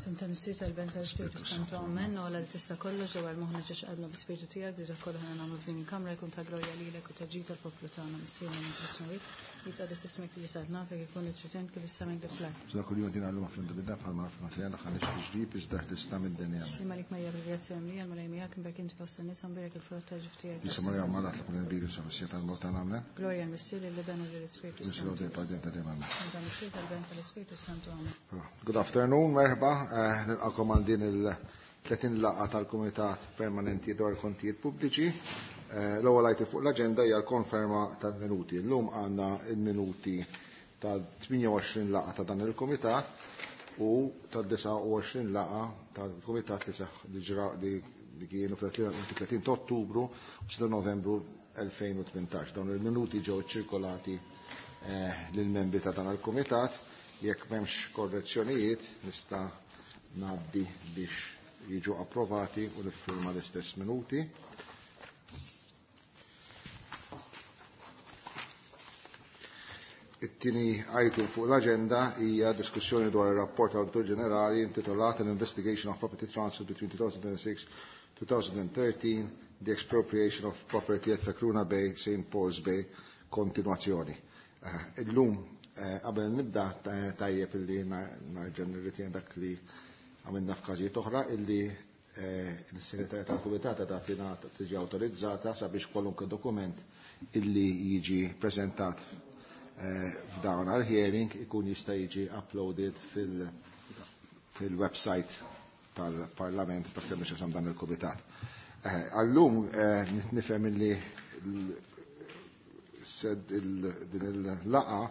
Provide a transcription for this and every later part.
F'isem ta' Missier tal-Ben tal-Ispirtu Santu Amen, u għala li tista' kollox ġewwa l-moħħna ġiex qalbna bi-Spirtu tiegħek biex dak kollu ħana nagħmlu f'din il-kamra jkun ta' glorja lilek u ta' ġid tal-poplu tagħna Missierna minn fis-smewwiet, jitqaddes ismek li saltnatek ikun li trid int kif is-sema kif fl-art. Sa kull jum din għallum fl bidda bħal ma nafna tiegħna ħalix tiġrib iżda ħdisna mid-dinja. Imma lik Marija bil-grazzja mlija l-Mulej miegħek imbierek inti fost in-nisa mbierek il-frott ta' ġuf tiegħek. Jisa Marija Mallat li kun nbidu sa missija tal-mewt tagħna amen. Glorja l-Missier lill-Iben u lill-Ispirtu Nislu Santu. dejjem padjem ta' dejjem amen. Ta' Missier tal-Ben tal-Ispirtu Santu Amen. Good afternoon, merħba. Nilqakom għal din il-30 laqgħa tal-Kumitat Permanenti dwar il-Kontijiet Pubbliċi. L-ewwel item fuq l-aġenda hija l-konferma tal-minuti. Illum għandna il-minuti tal-28 laqgħa ta' dan il-Kumitat u tad-29 laqgħa tal-Kumitat li seħħ li ġra li kienu fil-30 ta' Ottubru u 6 Novembru 2018. Dawn il-minuti ġew ċirkolati lill-membri ta' dan il-Kumitat. Jekk m'hemmx korrezzjonijiet nista' ngħaddi biex jiġu approvati u niffirma l-istess minuti. It-tieni item fuq l-aġenda hija diskussjoni dwar ir-rapport tal-Awditur Ġenerali intitolat An Investigation of Property Transfer between 2006-2013, the Expropriation of Property at Fekruna Bay, St. Paul's Bay, kontinuazzjoni. Illum qabel nibda tajjeb illi narġa' nirritjen dak li għamilna f'każijiet oħra illi l-segretarja tal-Kumitat ta' tiġi awtorizzata sabiex kwalunkwe dokument illi jiġi preżentat f'dawn għal-hearing ikun jista' jiġi uploaded fil-website tal-Parlament ta' kemm x'isem dan il-Kumitat. Għallum nifhem illi din il-laqa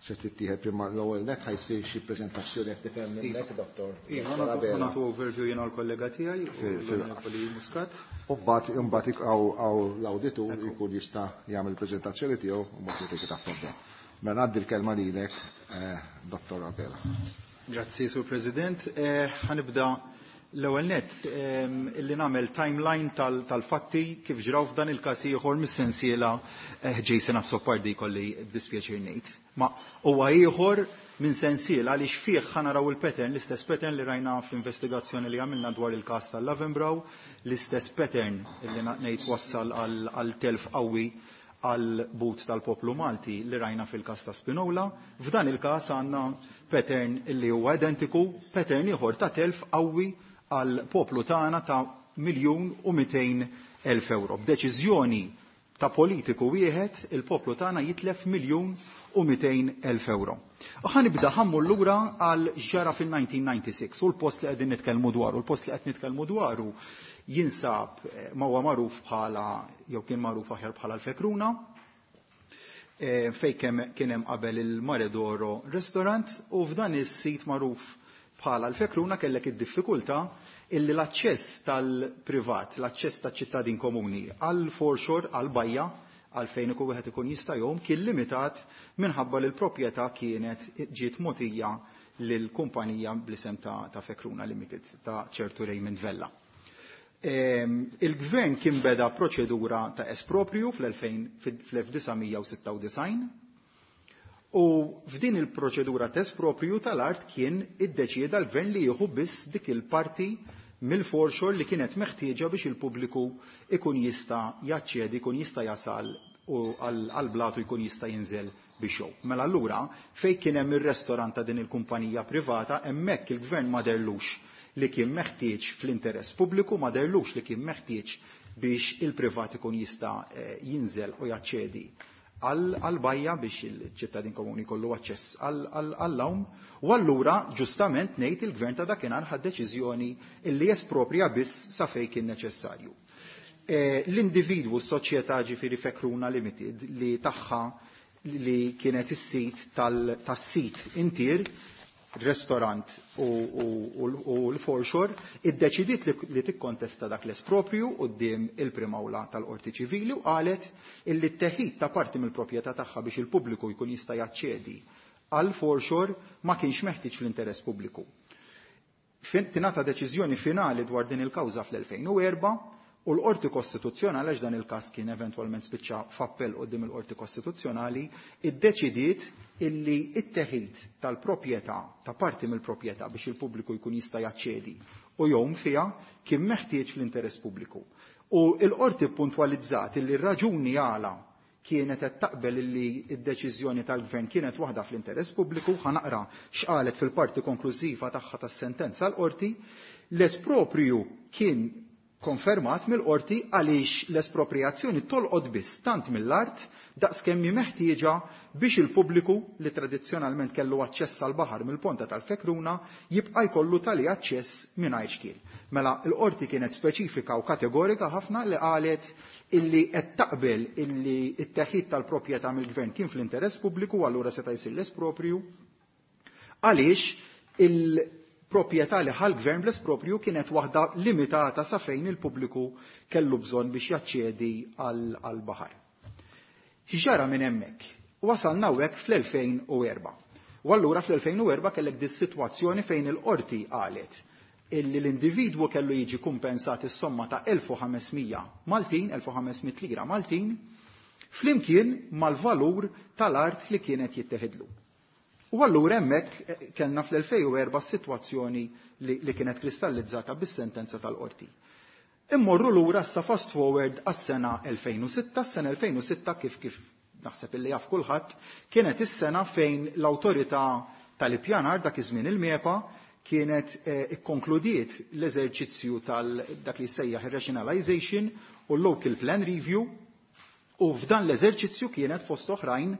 se tittieħed prima l-ewwel net ħajsir xi preżentazzjoni qed tifhem minnek, Dottor. Iva, Abela. nagħtu overview jiena l-kollega tiegħi, l-Onorevoli Muscat. U mbagħad hawn l-awditur jkun jista' jagħmel il-preżentazzjoni tiegħu u mbagħad jtik tafforda. Mela ngħaddi l-kelma lilek, Dottor Abela. Grazzi, Sur President. Ħanibda l-ewwel net illi nagħmel timeline tal-fatti kif ġraw f'dan il-każ ieħor mis-sensiela Jason Azzopardi kolli dispjaċir ngħid. Ma huwa ieħor minn sensiela għaliex fih ħa naraw il-pattern, l-istess pattern li rajna fl-investigazzjoni li għamilna dwar il-każ tal-Lavenbrow, l-istess pattern illi ngħid wassal għal telf qawwi għal but tal-poplu Malti li rajna fil-każ ta' Spinola. F'dan il-każ għandna pattern illi huwa identiku, pattern ieħor ta' telf qawwi għal poplu tagħna ta' 1,200,000 euro. B'deċiżjoni ta' politiku wieħed, il-poplu tagħna jitlef 1,200,000 euro. U ħanibda ħammur lura għal ġara fil-1996 u l-post li qegħdin nitkellmu dwaru. Il-post li qed nitkellmu dwaru jinsab ma huwa magħruf bħala, jew kien magħruf aħjar bħala l-Fekruna, fejn kien hemm qabel il-Mare d'Oro Restaurant, u f'dan is-sit magħruf bħala l-Fekruna kellek id-diffikultà illi l-aċċess tal-privat, l-aċċess taċ-ċittadin komuni għal foreshore, għal bajja, għal fejn ikun wieħed ikun jista' jgħum, kien limitat minħabba li l-proprjetà kienet ġiet mogħtija lil kumpanija bl-isem ta' Fekruna Limited ta' ċertu Raymond Vella. Il-gvern kien beda proċedura ta' esproprju fl-1996 u f'din il-proċedura ta' esproprju tal-art kien iddeċieda l-gvern li jieħu biss dik il-parti mill-foreshore li kienet meħtieġa biex il-pubbliku ikun jista' jaċċedi, ikun jista' jasal u għal-blatu jkun jista' jinżel biex jgħum. Mela allura fejn kien hemm ir-restorant ta' din il-kumpanija privata, hemmhekk il-gvern ma derlux li kien meħtieġ fl-interess pubbliku, ma derlux li kien meħtieġ biex il-privat ikun jista' jinżel u jaċċedi għal-bajja biex il-ċittadin komuni kollu aċċess għall-għawm. U allura ġustament ngħid il-gvern ta' dakinhar ħad deċiżjoni illi jesproprja biss sa fejn kien neċessarju. L-individwu s-soċjetà ġifieri Fekruna Limited li tagħha li kienet is-sit tas-sit intier, restaurant u l-foreshore, iddeċidiet li tikkontesta dak l-esproprju quddiem il-Prim'Awla tal-Qorti Ċivili u qalet illi t-teħid ta' parti mill-proprjetà tagħha biex il-pubbliku jkun jista' jaċċedi għal foreshore ma kienx meħtieġ fl-interess pubbliku. Tingħata deċiżjoni finali dwar din il-kawża fl-2004 U l-Qorti Kostituzzjonali, għax dan il-każ kien eventwalment spiċċa f'appell quddiem il-Qorti Kostituzzjonali, iddeċidiet illi it-teħid tal-proprjetà, ta' parti mill-proprjetà biex il-pubbliku jkun jista' jaċċedi u jgħum fiha, kien meħtieġ fl-interess pubbliku. U l-Qorti puntwalizzat illi r-raġuni għala kienet qed taqbel illi d-deċiżjoni tal-Gvern kienet waħda fl-interess pubbliku, ħa naqra x'qalet fil-parti konklużiva tagħha tas-sentenza l-Qorti, l-esproprju kien konfermat mill-qorti għaliex l-espropriazzjoni tolqot biss tant mill-art daqskemm hi meħtieġa biex il-pubbliku li tradizzjonalment kellu aċċess għall-baħar mill-ponta tal-Fekruna jibqa' jkollu tali aċċess mingħajr xkiel. Mela l-qorti kienet speċifika u kategorika ħafna li qalet illi qed taqbel illi t-teħid tal-proprjetà mill-gvern kien fl-interess pubbliku u allura seta' jsir l-esproprju għaliex il-proprjetà li ħa l-gvern bl-esproprju kienet waħda limitata sa fejn il-pubbliku kellu bżonn biex jaċċedi għall-baħar. X'ġara minn hemmhekk? Wasalna hawnhekk fl-2004. U allura fl-2004 kellek dis-sitwazzjoni fejn il-qorti qalet illi l-individwu kellu jiġi kumpensat is-somma ta' 1500 Maltin, 1500 lira Maltin, flimkien mal-valur tal-art li kienet jitteħidlu. U allura hemmhekk kellna fl-2004 s-sitwazzjoni li kienet kristallizzata bis-sentenza tal-qorti. Immorru lura issa fast forward għas-sena 2006, s-sena 2006 kif naħseb illi jaf kulħadd, kienet is-sena fejn l-awtorità tal-ippjanar dak iż-żmien il-MEPA kienet ikkonkludiet l-eżerċizzju tal-dak li sejjaħ ir-rationalization u l-local plan review, u f'dan l-eżerċizzju kienet fost oħrajn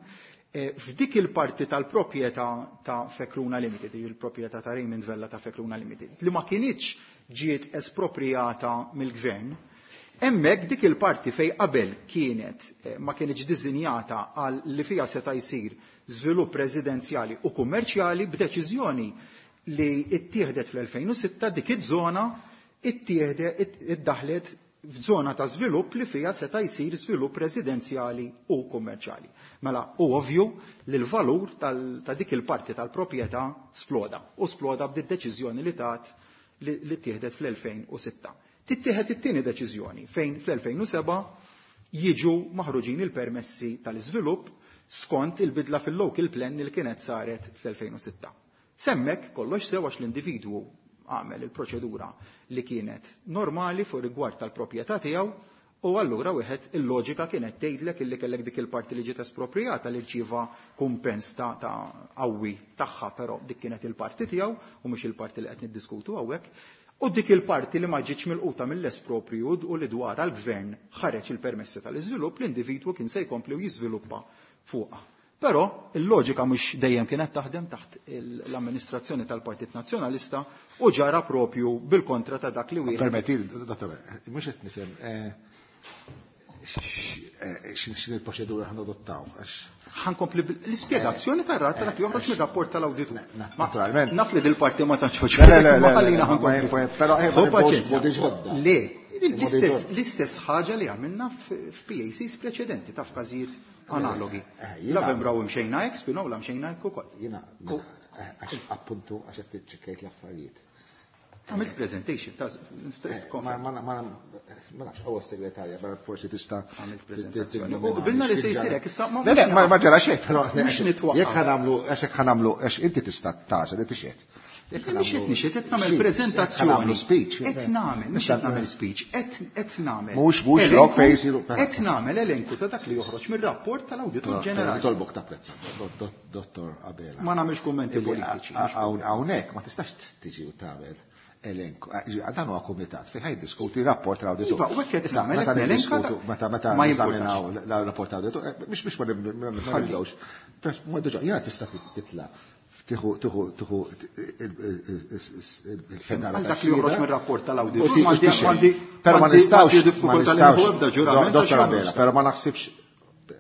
f'dik il-parti tal-proprjetà ta' Fekruna Limited, il-proprjetà ta' Raymond Vella ta' Fekruna Limited, li ma kinitx ġiet espropriata mill-gvern, hemmhekk dik il-parti fej qabel kienet ma kienx diżinjata għal li fiha seta' jsir żvilupp residenzjali u kummerċjali, b'deċiżjoni li ittieħdet fl-2006 dik iż-żona iddaħlet f'żona ta' żvilupp li fiha seta' jsir żvilupp residenzjali u kummerċjali. Mela hu ovvju li l-valur ta' dik il-parti tal-proprjetà sploda, u sploda b'dik deċiżjoni li tat li ttieħdet fl-2006. Tittieħed it-tieni deċiżjoni fejn fl-2007 jiġu maħruġin il-permessi tal-iżvilupp skont il-bidla fil-local plan li kienet saret fl-2006. Semmek kollox sew għax l-individwu għamel il-proċedura li kienet normali fuq rigward tal-proprjetà tiegħu, u allura wieħed il-loġika kienet tgħidlek illi kellek dik il-parti li ġiet espropriata li rċieva kumpens ta' qawwi tagħha, però dik kienet il-parti tiegħu u mhux il-parti li qed niddiskutu hawnhekk. U dik il-parti li ma ġietx milquta mill-espropriju u li dwarha l-gvern ħareġ il-permessi tal-iżvilupp, l-individwu kien se jkompli u jiżviluppa fuqha. Però il-loġika mhux dejjem kienet taħdem taħt l-amministrazzjoni tal-Partit Nazzjonalista u ġara propju bil-kontra ta' dak li wieħed. Permetti, dottor, mhux qed nifhem x'in il-proċedura ħan adottaw, għax Ħankompli l-ispjegazzjoni tar-rat dak li joħroġ mir-rapport tal-awditur. Naturalment. Naf li dil-parti ma tantx Le, le, le, ma le, ħallina le, ħankompli. però, Hu ma paċenzja. modi ġodda. Le, Modi ġodda. l-istess ħaġa li għamilna f'PACs preċedenti ta' f'każijiet analogi. Jiena La vembraw imxejna hekk, spinow la mxejna hekk ukoll. Jiena, għax appuntu, għax qed tiċċekkejt l-affarijiet. Għamilt presentation, ta' Ma nafx, għaw segretarja, ma forsi tista' Għamilt prezentazzjoni. U qbilna li se jsir hekk, issa ma Le, le, ma ġara xejn, però Mhux nitwaqqaf. Jekk ħanamlu, għax jekk ħanamlu, għax inti tista' tagħżel li tixed. Jekk Mhux qed ħanamlu nixed, qed nagħmel speech, prezentazzjoni. jekk ħanamlu speech. Qed nagħmel, mhux qed nagħmel speech, qed nagħmel. Mhux, mhux elenku, lok fejn jsiru- Qed nagħmel elenku ta' dak li joħroġ mir-rapport tal-Awditur Ġenerali. Nitolbok tapprezza, Dottor Abela. Ma nagħmilx kummenti Illi politiċi. Hawnhekk ma tistax tiġi u tagħmel elenku. Dan huwa kumitat fejn ħaj diskuti rapport tal-awditur. Iva, u hekk qed Issa, nagħmel, meta qed nelenka niddiskutu, ta' meta ma neżaminaw jimpurtax. l-rapport tal-awditur, biex ma Ħalli. nibdewx. Ma diġà, jiena tista' titla' tieħu tieħu il-fedara Għal dak li joħroġ mir-rapport tal-awditur, U ti- tixxej. Però ma nistgħux, m'għandi ma diffikultà li nistgħux, nieħu ebda ġurament Dottor għax ma Abela, nistgħux. però ma naħsibx,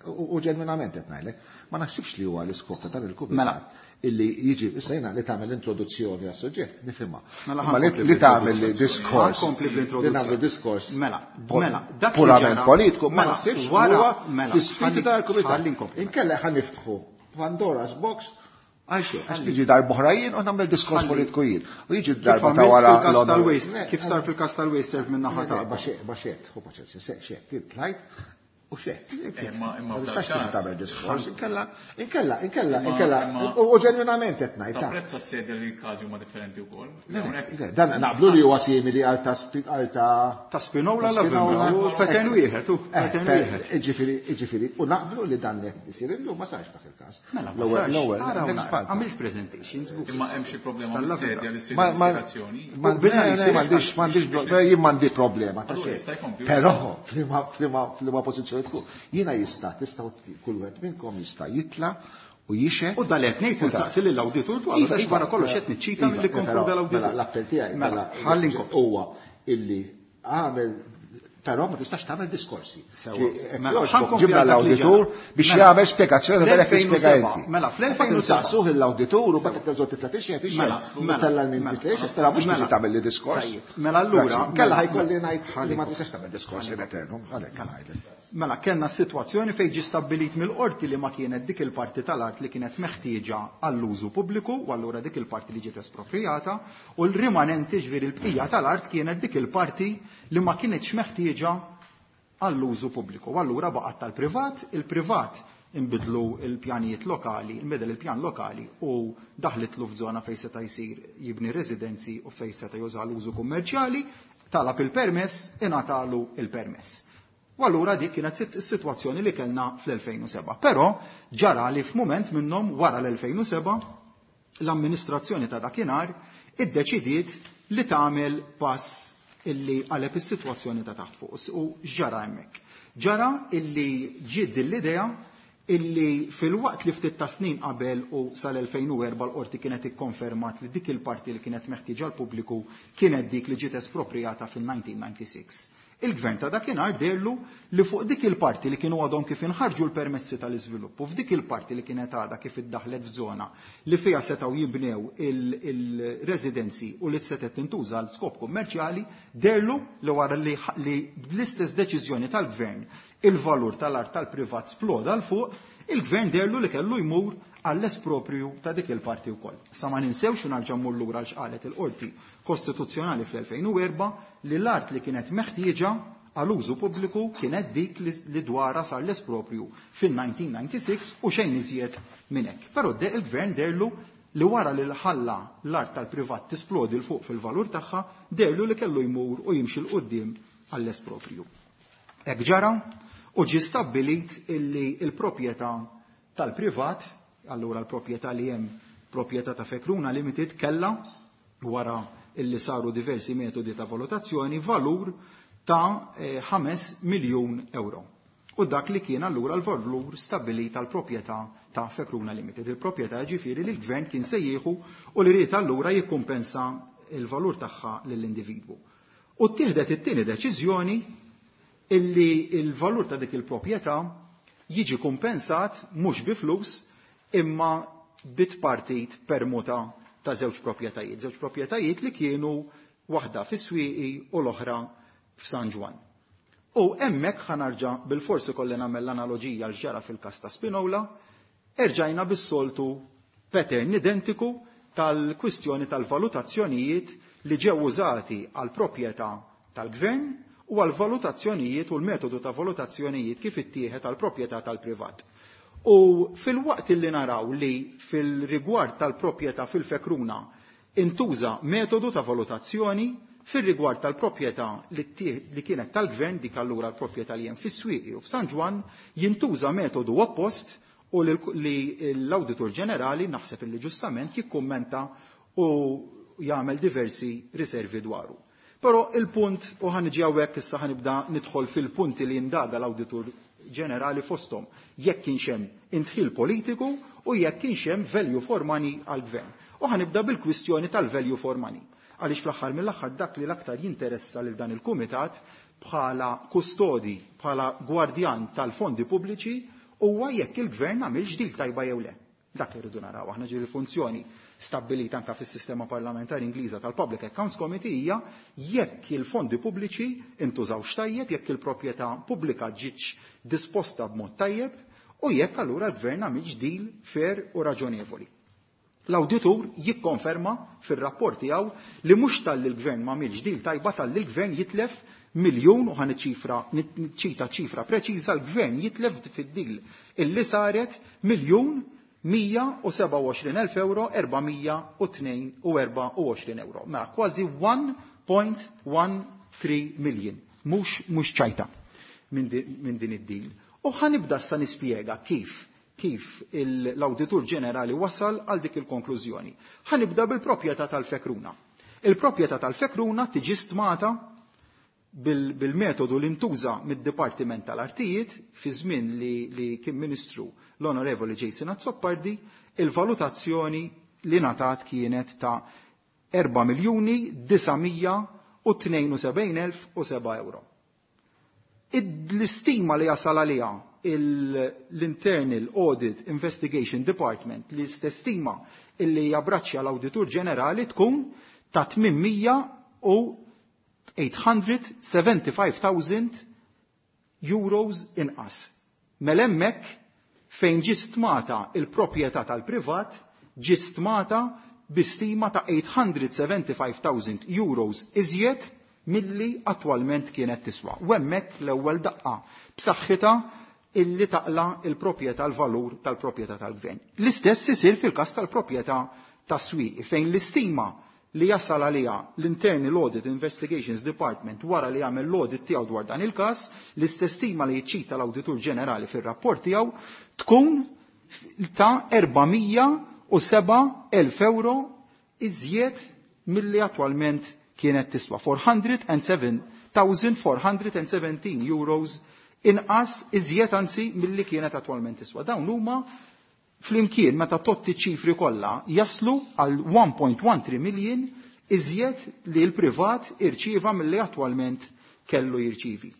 u ġenwinament qed ngħidlek, ma naħsibx li huwa l-iskop ta' dan il-kumitat Mela. illi jiġi, issa jiena li tagħmel introduzzjoni għas-suġġett, nifhimha. Mela Imma ħankompli li tagħmel bl-introduzzjoni. diskors, Ħankompli li bl-introduzzjoni. nagħmlu diskors Mela, mela, dak li purament ġara- politiku, ma mela, naħsibx li wara- huwa mela, l-ispirtu ħalli- tal-kumitat. ħalli nkompli. Inkella ħa niftħu Pandora's box Għalxejn, għax niġi darb'oħra jien u nagħmel diskors politiku jien. U jiġi darba ta' wara l-waste, kif sar fil-każ tal-waste serve minn naħa ta' Baxet, hu paċenzja, xed, tlajt u xed. Ma tistax tiġi tagħmel diskors, inkella, inkella, inkella, inkella, u ġenwinament qed ngħid. Tapprezza s-sedja li l-każi huma differenti wkoll. Dan naqblu li huwa simili għal ta' għal ta' ta' Spinola la u pattern wieħed, u pattern wieħed. Iġifieri, iġifieri, u naqblu li dan qed isir illum ma sarx dak il-każ. Mela, l-ewwel, għamilt presentations. Imma hemm xi problema mas-sedja li ssir investigazzjoni. M'għandix, m'għandix, jien m'għandi problema ta' xejn. Però f'liema pożizzjoni tkun. Jiena jista' tistgħu kull wieħed minnkom jista' jitla' u jixhed. U dan li qed ngħid se nsaqsi lill-awditur dwaru għax wara kollox qed niċċita milli kkonkluda l-awditur. Mela l-appell tiegħi mela huwa illi għamel però ma tistax tagħmel diskorsi. Mela, Ġibna l-awditur biex jagħmel spjegazzjoni ta' dak li spjega inti. Mela, fl-2007 saqsuh l-awditur u bagħad terġgħu titla' tixhed Mela, mela, tella' min titla' però mhux biex tagħmel li diskors. Mela allura, kella ħajkolli ngħid li ma tistax tagħmel diskors in eternum, għalhekk ngħidlek. Mela kellna sitwazzjoni fejn ġie stabbilit mill-qorti li ma kienet dik il-parti tal-art li kienet meħtieġa għall-użu pubbliku u allura dik il-parti li ġiet esproprjata u l-rimanenti ġifieri l-bqija tal-art kienet dik il-parti li ma kienetx meħtieġa għall-użu pubbliku. U allura baqgħet tal-privat, il-privat inbidlu l-pjanijiet lokali, inbidel il-pjan lokali u daħlitlu f'żona fejn seta' jsir jibni residenzi u fejn seta' juża l-użu kummerċjali, talab il-permess, ingħatalu il-permess. U allura dik kienet is-sitwazzjoni li kellna fl-2007. Però ġara li f'mument minnhom wara l-2007 l-amministrazzjoni ta' dakinhar iddeċidiet li tagħmel pass illi qaleb is-sitwazzjoni ta' taħt fuq. U x'ġara hemmhekk? Ġara illi ġiet din l-idea illi filwaqt li ftit ta' snin qabel u sal-2004 l-qorti kienet ikkonfermat li dik il-parti li kienet meħtieġa l-pubbliku kienet dik li ġiet esproprjata fil-1996. Il-gvern ta' dakinhar deherlu li fuq dik il-parti li kienu għadhom kif inħarġu l-permessi tal-iżvilupp u f'dik il-parti li kienet għadha kif iddaħħlet f'żona li fiha setgħu jibnew il-residenzi u li setgħet tintuża għal skop kummerċjali, deherlu li wara li bl-istess deċiżjoni tal-gvern il-valur tal-art tal-privat sploda 'l fuq, il-gvern deherlu li kellu jmur għall-esproprju ta' dik il-parti wkoll. Sa ma ninsewx u narġa' mmur lura għal x'qalet il-Qorti Kostituzzjonali fl-2004 li l-art li kienet meħtieġa għal użu pubbliku kienet dik li dwarha sar l-esproprju fil-1996 u xejn iżjed minn hekk. Però il-gvern deherlu li wara li ħalla l-art tal-privat tisplodi 'l fuq fil-valur tagħha, deherlu li kellu jmur u jimxi 'l quddiem għall-esproprju. Hekk ġara u ġie stabbilit illi l-proprjetà tal-privat, allura l-proprjetà li hemm proprjetà ta' Fekruna Limited kellha wara illi saru diversi metodi ta' valutazzjoni valur ta' 5 miljun euro. U dak li kien allura l-valur stabbilit tal-proprjetà ta' Fekruna Limited. Il-proprjetà ġifieri li l-gvern kien se jieħu u li ried allura jikkumpensa il-valur tagħha lill-individwu. U ttieħdet it-tieni deċiżjoni illi il-valur ta' dik il-proprjetà jiġi kumpensat mhux bi flus imma bit-partit permuta ta' żewġ proprjetajiet. Żewġ proprjetajiet li kienu waħda fis-Swieqi u l-oħra f'San Ġwann. U hemmhekk ħa narġa' bilforsi kolli nagħmel l-analoġija għal x'ġara fil-każ ta' Spinola, erġajna bis-soltu pattern identiku tal-kwistjoni tal-valutazzjonijiet li ġew użati għal proprjetà tal-gvern u għal valutazzjonijiet u l-metodu ta' valutazzjonijiet kif ittieħed għal proprjetà tal-privat. U fil-waqt li naraw li fil-rigward tal-proprjetà fil-Fekruna intuża metodu ta' valutazzjoni, fil-rigward tal-proprjetà li kienet tal-gvern, dik allura l-proprjetà li hemm fis-Swieqi u f'San Ġwann, jintuża metodu oppost u li l-Awditur Ġenerali naħseb illi ġustament jikkummenta u jagħmel diversi riservi dwaru. Però il-punt, u ħa niġi hawnhekk issa ħa nibda nidħol fil-punti li jindaga l-Awditur Ġenerali fosthom jekk kienx hemm indħil politiku u jekk kienx hemm value for money għall-gvern. U ħa nibda bil-kwistjoni tal-value for money. Għaliex fl-aħħar mill-aħħar dak li l-aktar jinteressa lil dan il-kumitat bħala kustodi, bħala gwardjan tal-fondi pubbliċi huwa jekk il-gvern għamilx deal tajba jew le. Dak li rridu naraw aħna ġifieri l-funzjoni stabbilita anka fis-sistema parlamentari Ingliża tal-Public Accounts Committee hija jekk il-fondi pubbliċi intużawx tajjeb, jekk il-proprjetà pubblika ġietx disposta b'mod tajjeb u jekk allura l-gvern għamilx deal fair u raġonevoli. L-awditur jikkonferma fir-rapport tiegħu li mhux talli l-gvern m'għamilx deal tajba, talli l-gvern jitlef miljun, u ħa niċċita ċifra preċiża, l-gvern jitlef fid-deal illi saret 1,127,000 euro 422 euro. Mela kważi 1.13 million. Mhux ċajta minn din id-deal. U ħa nibda issa nispjega kif l-Awditur Ġenerali wasal għal dik il-konklużjoni. Ħa nibda bil-proprjetà tal-Fekruna. Il-proprjetà tal-Fekruna tiġi stmata bil-metodu li ntuża mid-Dipartiment tal-Artijiet fi żmien li kien Ministru l-Onorevoli Jason Azzopardi, il-valutazzjoni li ngħatat kienet ta' 4,972,007 euro. L-istima li jasal għaliha l-Internal Audit Investigation Department, li stima illi jabbraċċja l-Awditur Ġenerali, tkun ta' 875,000 euros inqas. Mela hemmhekk fejn ġiet stmata il-proprjetà tal-privat, ġiet stmata bi stima ta' 875,000 euros iżjed milli attwalment kienet tiswa. U hemmhekk l-ewwel daqqa b'saħħitha illi taqla il-proprjetà, l-valur tal-proprjetà tal-gvern. L-istess isir fil-każ tal-proprjetà tas-Swieqi, fejn l-istima li jasal għaliha l-Internal Audit Investigations Department wara li jagħmel l-audit tiegħu dwar dan il-każ, l-istess stima li jiċċita l-Awditur Ġenerali fir-rapport tiegħu tkun ta' 407,000 euro iżjed milli attwalment kienet tiswa. 407,417 euros inqas, iżjed anzi, milli kienet attwalment tiswa. Dawn huma flimkien meta totti ċifri kollha jaslu għal 1.13 million iżjed li l-privat irċieva milli attwalment kellu jirċivi.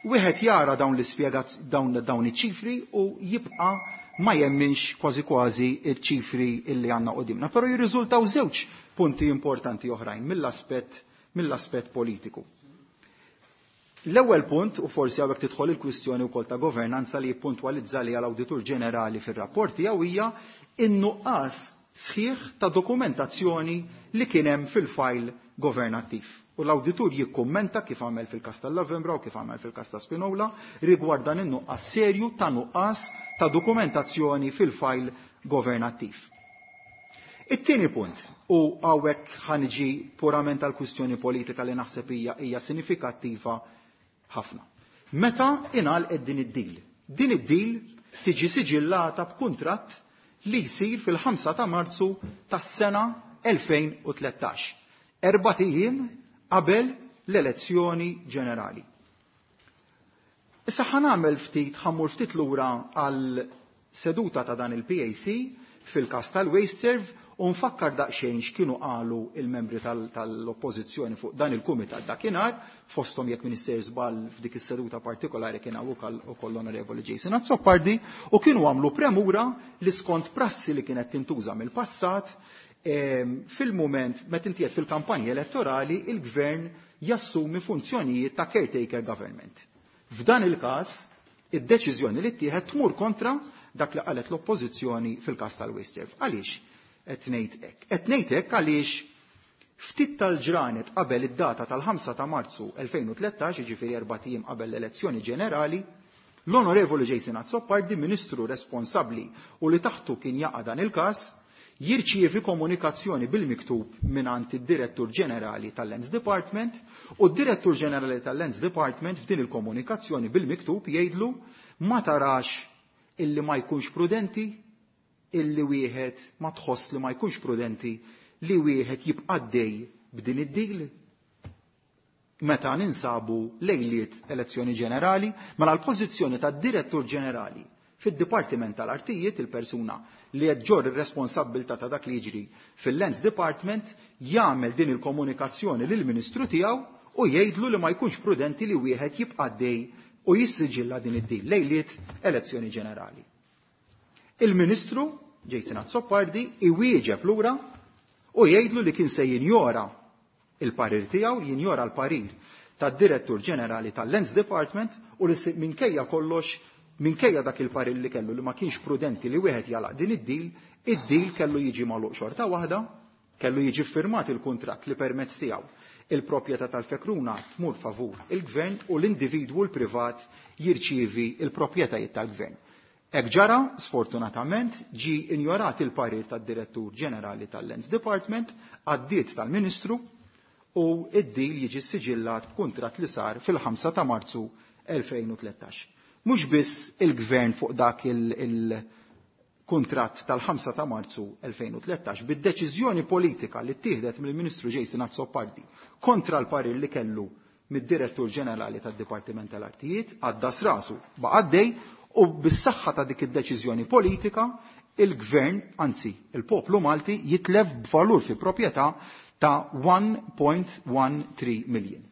Wieħed jara dawn l-ispjegat dawn iċ-ċifri u jibqa' ma jemminx kważi kważi iċ-ċifri illi għandna qudiemna, però jirriżultaw żewġ punti importanti oħrajn mill-aspett politiku. L-ewwel punt, u forsi hawnhekk tidħol il-kwistjoni wkoll ta' governanza li jippuntwalizza li għall-Awditur Ġenerali fir-rapport tiegħu, hija in-nuqqas sħiħ ta' dokumentazzjoni li kien hemm fil-fajl governattiv. U l-awditur jikkummenta kif għamel fil-każ tal-Lavembra u kif għamel fil-każ ta' Spinola rigward dan in-nuqqas serju ta' nuqqas ta' dokumentazzjoni fil-fajl governattiv. It-tieni punt, u hawnhekk ħanġi purament għal kwistjoni politika li naħseb hija sinifikattiva ħafna. Meta ingħalqet din id-deal? Din id-deal tiġi siġillata b'kuntratt li jsir fil-5 ta' Marzu tas-sena 2013, 4 ijiem qabel l-elezzjoni ġenerali. Issa ħanamel ftit, ħammur ftit lura għal seduta ta' dan il-PAC fil-każ tal-WasteServ u nfakkar daqsxejn x'kienu qalu il-membri tal-oppożizzjoni fuq dan il-kumitat dakinhar, fosthom jekk Minister żball f'dik is-seduta partikolari kien hawn ukoll l-Onorevoli Jason Azzopardi, u kienu għamlu premura li skont prassi li kienet tintuża mill-passat, fil-mument meta inti qed fil-kampanja elettorali il-gvern jassumi funzjonijiet ta' caretaker government. F'dan il-każ, id-deċiżjoni li ttieħed tmur kontra dak li qalet l-oppożizzjoni fil-każ tal-WasteServ. Għaliex qed ngħid hekk? Qed ngħid hekk għaliex ftit tal-ġranet qabel id-data tal-5 ta' Marzu 2013, jiġifieri 4 ijiem qabel l-elezzjoni ġenerali, l-Onorevoli Jason Azzopardi, ministru responsabbli u li taħtu kien jaqa' dan il-każ, jirċievi komunikazzjoni bil-miktub mingħand id-Direttur Ġenerali tal-Lands Department, u d-Direttur Ġenerali tal-Lands Department f'din il-komunikazzjoni bil-miktub jgħidlu ma tarax illi ma jkunx prudenti, illi wieħed ma tħoss li ma jkunx prudenti li wieħed jibqa' dej b'din id-dil. Meta ninsabu lejliet elezzjoni ġenerali, mela l-pożizzjoni tad-Direttur Ġenerali fid-Dipartiment tal-Artijiet, il-persuna li qed ġorr ir-responsabbiltà ta' dak li jiġri fil-Lands Department, jagħmel din il-komunikazzjoni lill-Ministru tiegħu u jgħidlu li ma jkunx prudenti li wieħed jibqa' dej u jissiġilla din id-dil lejliet elezzjoni ġenerali. Il-Ministru Jason Azzopardi iwieġeb lura u jgħidlu li kien se jinjora il-parir tiegħu, jinjora l-parir tad-Direttur Ġenerali tal-Lands Department u li minkejja kollox Minkejja dak il-parir li kellu li ma kienx prudenti li wieħed jalaq din id-deal, id-deal kellu jiġi magħluq xorta waħda, kellu jiġi firmat il-kuntratt li permezz tiegħu il-proprjetà tal-Fekruna tmur favur il-gvern u l-individwu l-privat jirċievi il-proprjetajiet tal-gvern. Hekk ġara, sfortunatament, ġi injorat il-parir tad-Direttur Ġenerali tal-Lands Department, għaddiet tal-Ministru u id-deal jiġi siġillat b'kuntratt li sar fil-5 ta' Marzu 2013. Mhux biss il-gvern fuq dak il-kuntratt tal-5 ta' Marzu 2013 bid-deċiżjoni politika li ttieħdet mill-Ministru Jason Azzopardi kontra l-parir li kellu mid-Direttur Ġenerali tad-Dipartiment tal-Artijiet, għaddas rasu baqa' għaddej u bis-saħħa ta' dik id-deċiżjoni politika il-gvern, anzi il-poplu Malti jitlef b'valur fi proprjetà ta' 1.13 million.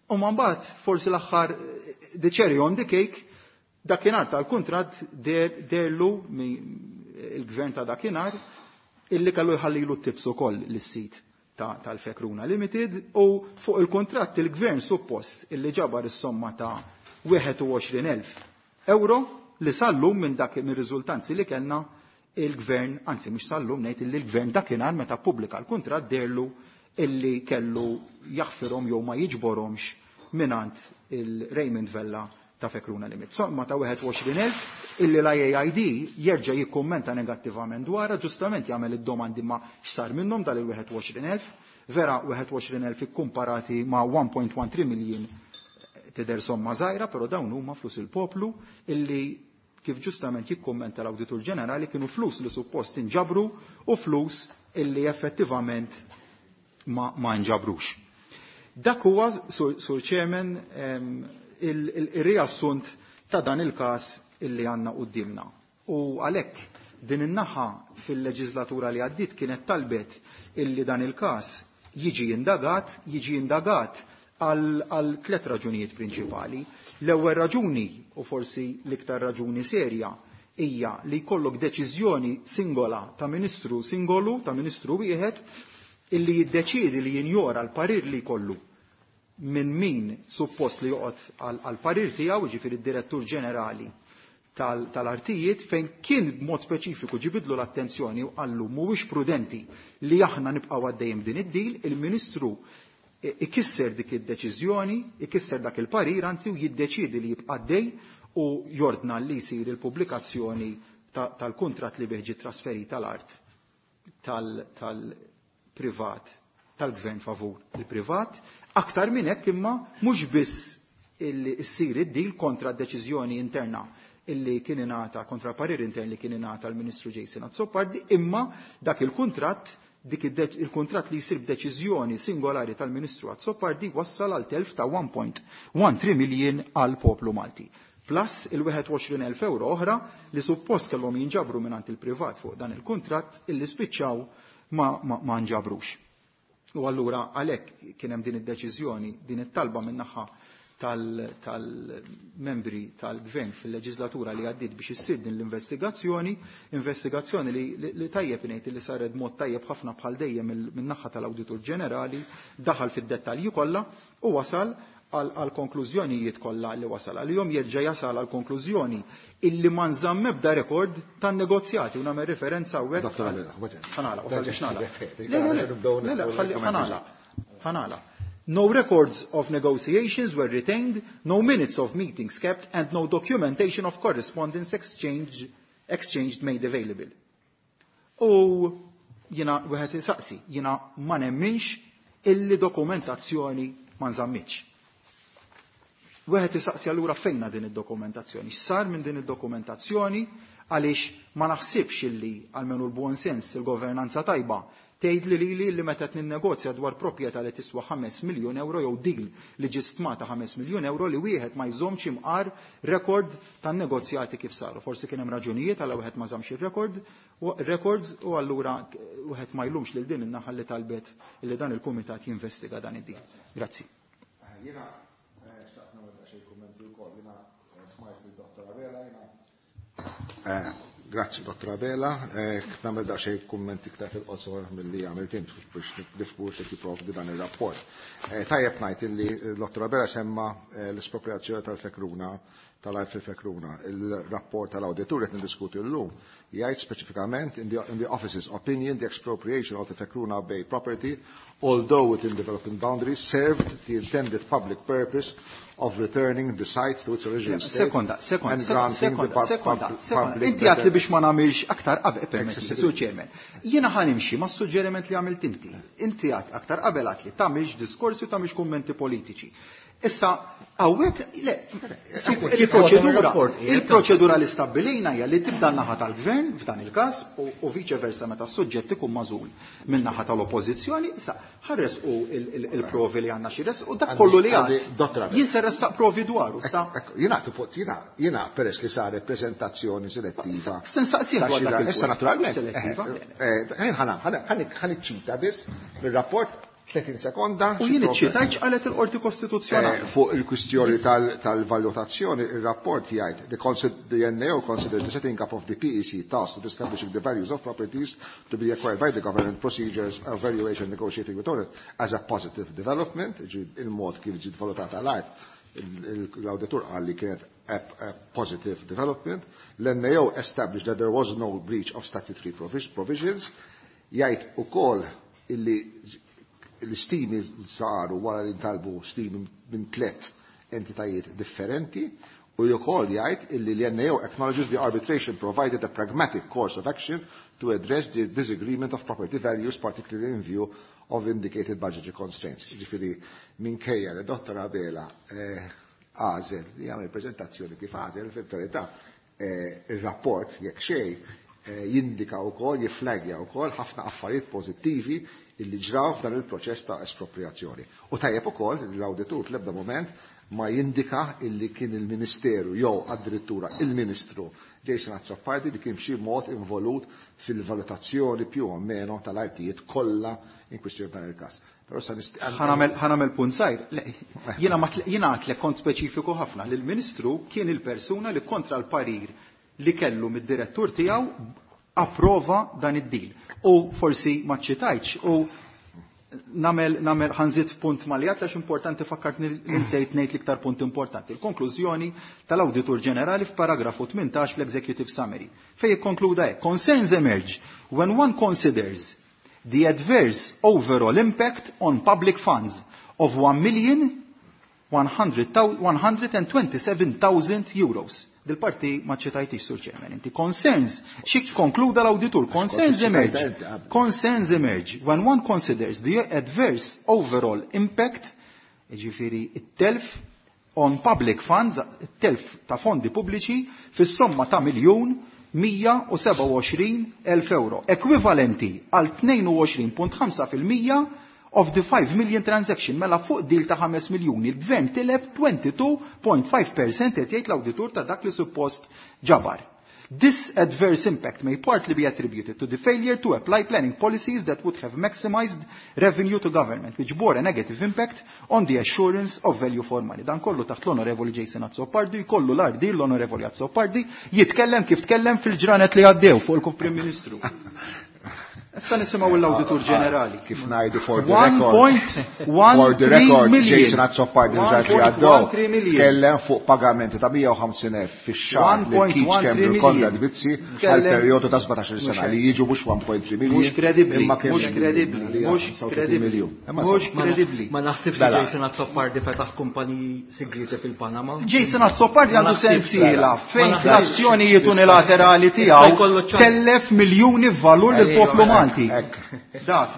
U mbagħad forsi l-aħħar the cherry on the cake, dakinhar tal-kuntratt derlu il-gvern ta' dakinhar illi kellu jħallilu t-tips ukoll lis-sit tal-Fekruna Limited u fuq il-kuntratt il-gvern suppost illi ġabar is-somma ta' 21,000 euro li sallum minn dak mir-riżultanzi li kellna il-gvern, anzi mhux sallum ngħid illi l-gvern dakinhar meta ppubblika l-kuntratt derlu illi kellu jaħfirhom jew ma jiġborhomx minant il-Raymond Vella ta' Fekruna Limited. Somma ta' 21,000 illi l-IAID jerġa' jikkummenta negattivament dwarha, ġustament jagħmel id-domandi ma x'sar minnhom dal-21,000, vera 21,000 ikkumparati ma' 1.13 million tidher somma żgħira, però dawn huma flus il-poplu illi kif ġustament jikkummenta l-Awditur Ġenerali kienu flus li suppost inġabru u flus illi effettivament ma nġabrux. Dak huwa, Sur Chairman, il-riassunt ta' dan il-każ illi għandna quddiemna. U għalhekk din in-naħa fil-leġislatura li għaddiet kienet talbet illi dan il-każ jiġi indagat, jiġi indagat għal tliet raġunijiet prinċipali. L-ewwel raġuni, u forsi l-iktar raġuni serja, hija li jkollok deċiżjoni singola ta' ministru singolu, ta' ministru wieħed, illi jiddeċiedi li jinjora l-parir li jkollu minn min suppost li joqgħod għal parir tiegħu, jiġifieri d-direttur ġenerali tal-artijiet, fejn kien b'mod speċifiku ġibidlu l-attenzjoni u qallu mhuwiex prudenti li aħna nibqgħu għaddejjem din id-dil, il-ministru ikisser dik id-deċiżjoni, ikisser dak il-parir, anzi u jiddeċiedi li jibqa' għaddej u jordna li jsir il-pubblikazzjoni tal-kuntratt li bih ġie trasferita l-art tal-privat, tal-gvern favur il-privat. Aktar minn hekk imma mhux biss illi ssir id-dil kontra d-deċiżjoni interna illi kien ingħata, kontra parir intern li kien ingħata l-Ministru Jason Azzopardi, imma dak il-kuntratt, dik il-kuntratt li jsir b'deċiżjoni singolari tal-Ministru Azzopardi wassal għal telf ta' 1.13 million għal poplu Malti. Plus il-21,000 euro oħra li suppost kellhom jinġabru mingħand il-privat fuq dan il-kuntratt illi spiċċaw ma nġabrux. U allura għalhekk kien hemm din id-deċiżjoni, din it-talba min-naħa tal-membri tal-gvern fil-leġislatura li għaddiet biex issir din l-investigazzjoni, investigazzjoni li tajjeb ngħid li saret mod tajjeb ħafna bħal dejjem min-naħa tal-Awditur Ġenerali, daħal fid-dettalji kollha u wasal għal konklużjonijiet kollha li wasal għalihom, jerġa' jasal għal konklużjoni illi ma nżamm ebda rekord tan-negozjati u nagħmel referenza hawnhekk. Dottor Abela, ħbaġ. Ħanala, wasal biex nagħlaq. Le, Le, le, le, le, ħalli ħanala. Ħanala. No records of negotiations were retained, no minutes of meetings kept, and no documentation of correspondence exchanged made available. U jina wieħed isaqsi, jina ma nemminx illi dokumentazzjoni ma nżammitx. Wieħed isaqsi allura fejna din id-dokumentazzjoni, x'sar minn din id-dokumentazzjoni, għaliex ma naħsibx illi għalmenu l-buon sens il-governanza tajba tgħid li lili li meta qed ninnegozja dwar proprjetà li tiswa 5 miljun euro jew deal li ġie stmata 5 miljun euro li wieħed ma jżommx imqar rekord tan-negozjati kif saru. Forsi kien hemm raġunijiet għal wieħed ma żammx ir-rekord, records u allura wieħed ma jlumx lil din in-naħa li talbet li dan il-kumitat jinvestiga dan id-deal. Grazzi. Jiena xtaqt nagħmel daqsxejn kummenti wkoll. Jiena smajt il-Dottor Abela, jiena grazzi Dottor Abela, nagħmel daqsxejn kummenti iktar fil-qosor milli għamilt int biex nifhmu x'qed jipprovdi dan ir-rapport. Tajjeb ngħid illi Dottor Abela semma l-espropriazzjoni tal-Fekruna tal-art fil-Fekruna. Il-rapport tal-awditur qed niddiskuti llum jgħid speċifikament in the office's opinion the expropriation of the Fekruna Bay property, although within development boundaries, served the intended public purpose of returning the site to its original state Sekonda, sekonda, and granting the sekonda, sekonda, sekonda. public Inti għedt li biex ma nagħmilx aktar qabel, permetti, Accessibility. Sur Chairman. Jiena ħa nimxi ma' suġġeriment li għamilt inti. Inti għedt aktar qabel għedt li tagħmilx diskorsi u tagħmilx kummenti politiċi. Issa, hawnhekk, le, il-proċedura, il-proċedura li stabbilejna hija li tibda n-naħa tal-gvern f'dan il-każ u vice versa meta s-suġġett ikun magħżul min-naħa tal-oppożizzjoni, issa ħares u il-provi li għandna xi res u dak kollu li Għandi, għad. Dottor Abela. Jien se ressaq provi dwaru, sa. Ekku, jiena tipo, jiena peress li saret prezentazzjoni selettiva. Se nsaqsih dwar dak il-punt. Issa naturalment. Selettiva. Ħa niċċita biss mir-rapport 30 sekonda. U jien iċċitajt x'qalet il-Qorti Kostituzzjonali. Fuq il-kwistjoni tal-valutazzjoni, il-rapport jgħid the NAO considers the setting up of the PEC task of establishing the values of properties to be acquired by the government, procedures of valuation negotiating with owners as a positive development, ġi il-mod kif ġiet valutata l-art, l-auditur qal li kienet a positive development. L-NAO established that there was no breach of statutory provisions. Jgħid ukoll illi l-istimi saru wara li ntalbu stimi minn tlet entitajiet differenti u wkoll jgħid illi l-NAO acknowledges the arbitration provided a pragmatic course of action to address the disagreement of property values, particularly in view of indicated budgetary constraints. Ġifieri, minkejja li Dottor Abela għażel li jagħmel prezentazzjoni kif għażel, fil-verità il-rapport jekk xejn jindika wkoll, jiflagja wkoll ħafna affarijiet pożittivi illi ġraw f'dan il-proċess ta' espropriazzjoni. U tajjeb ukoll l-awditur fl-ebda moment ma jindika illi kien il-Ministeru jew addirittura il-Ministru Jason Azzopardi li kien b'xi mod involut fil-valutazzjoni più o meno tal-artijiet kollha in kwistjoni dan il-każ. Però sa Ħa nagħmel punt żgħir. Le, jiena għedtlek kont speċifiku ħafna li l-Ministru kien il-persuna li kontra l-parir li kellu mid-direttur tiegħu approva dan id-deal. U forsi ma ċitajtx u nagħmel ħa nżid punt maljat għax importanti fakkartni li nsejt ngħid l-iktar punt importanti. Il-konklużjoni tal-Awditur Ġenerali f'paragrafu 18 fl-Executive Summary fejn jikkonkluda hekk: Concerns emerge when one considers the adverse overall impact on public funds of 1,127,000 euros. Dil-parti ma ċitajtix, Sur Chairman, inti concerns, xi konkluda l-auditur, concerns emerge, concerns emerge when one considers the adverse overall impact, ġifieri it-telf on public funds, it-telf ta' fondi pubbliċi, fis-somma ta' 1,127,000 euro, ekwivalenti għal 22.5% of the 5 million transaction, mela fuq deal ta' 5 miljuni, il-gvern tilef 22.5% qed jgħid l-awditur ta' dak li suppost ġabar. This adverse impact may partly be attributed to the failure to apply planning policies that would have maximized revenue to government, which bore a negative impact on the assurance of value for money. Dan kollu taħt l-Onorevoli Jason Azzopardi, kollu l-ardi l-Onorevoli Azzopardi, jitkellem kif tkellem fil-ġranet li għaddew fuq il-Prim Ministru. Issa nisimgħu l-Awditur Ġenerali. Kif ngħidu for the One record. point one For the three record, million. Jason Azzopardi One ġranet li point għaddew. one three million. Tkellem fuq pagamenti ta' 150,000 fix-xahar One li point Keith one Schembri three u Konrad million. Mizzi għal Tkellem- perjodu ta' 17 sena Mhux li jiġu mhux 1.3 million. Mhux kredibbli, imma kemm mhux kredibbli, li mhux 35 kredibbli. miljun. Imma Mhux insomma. kredibbli. Ma naħsibx li Mela. Jason Azzopardi fetaħ kumpaniji segreti fil-Panama. Jason Azzopardi Ma għandu naħsibx, sensiela Ma fejn naħsibx. l-azzjonijiet unilaterali Issa tiegħu jkollu ċans. tellef miljuni f'valur lill-poplu Ejja, Malti. Hekk.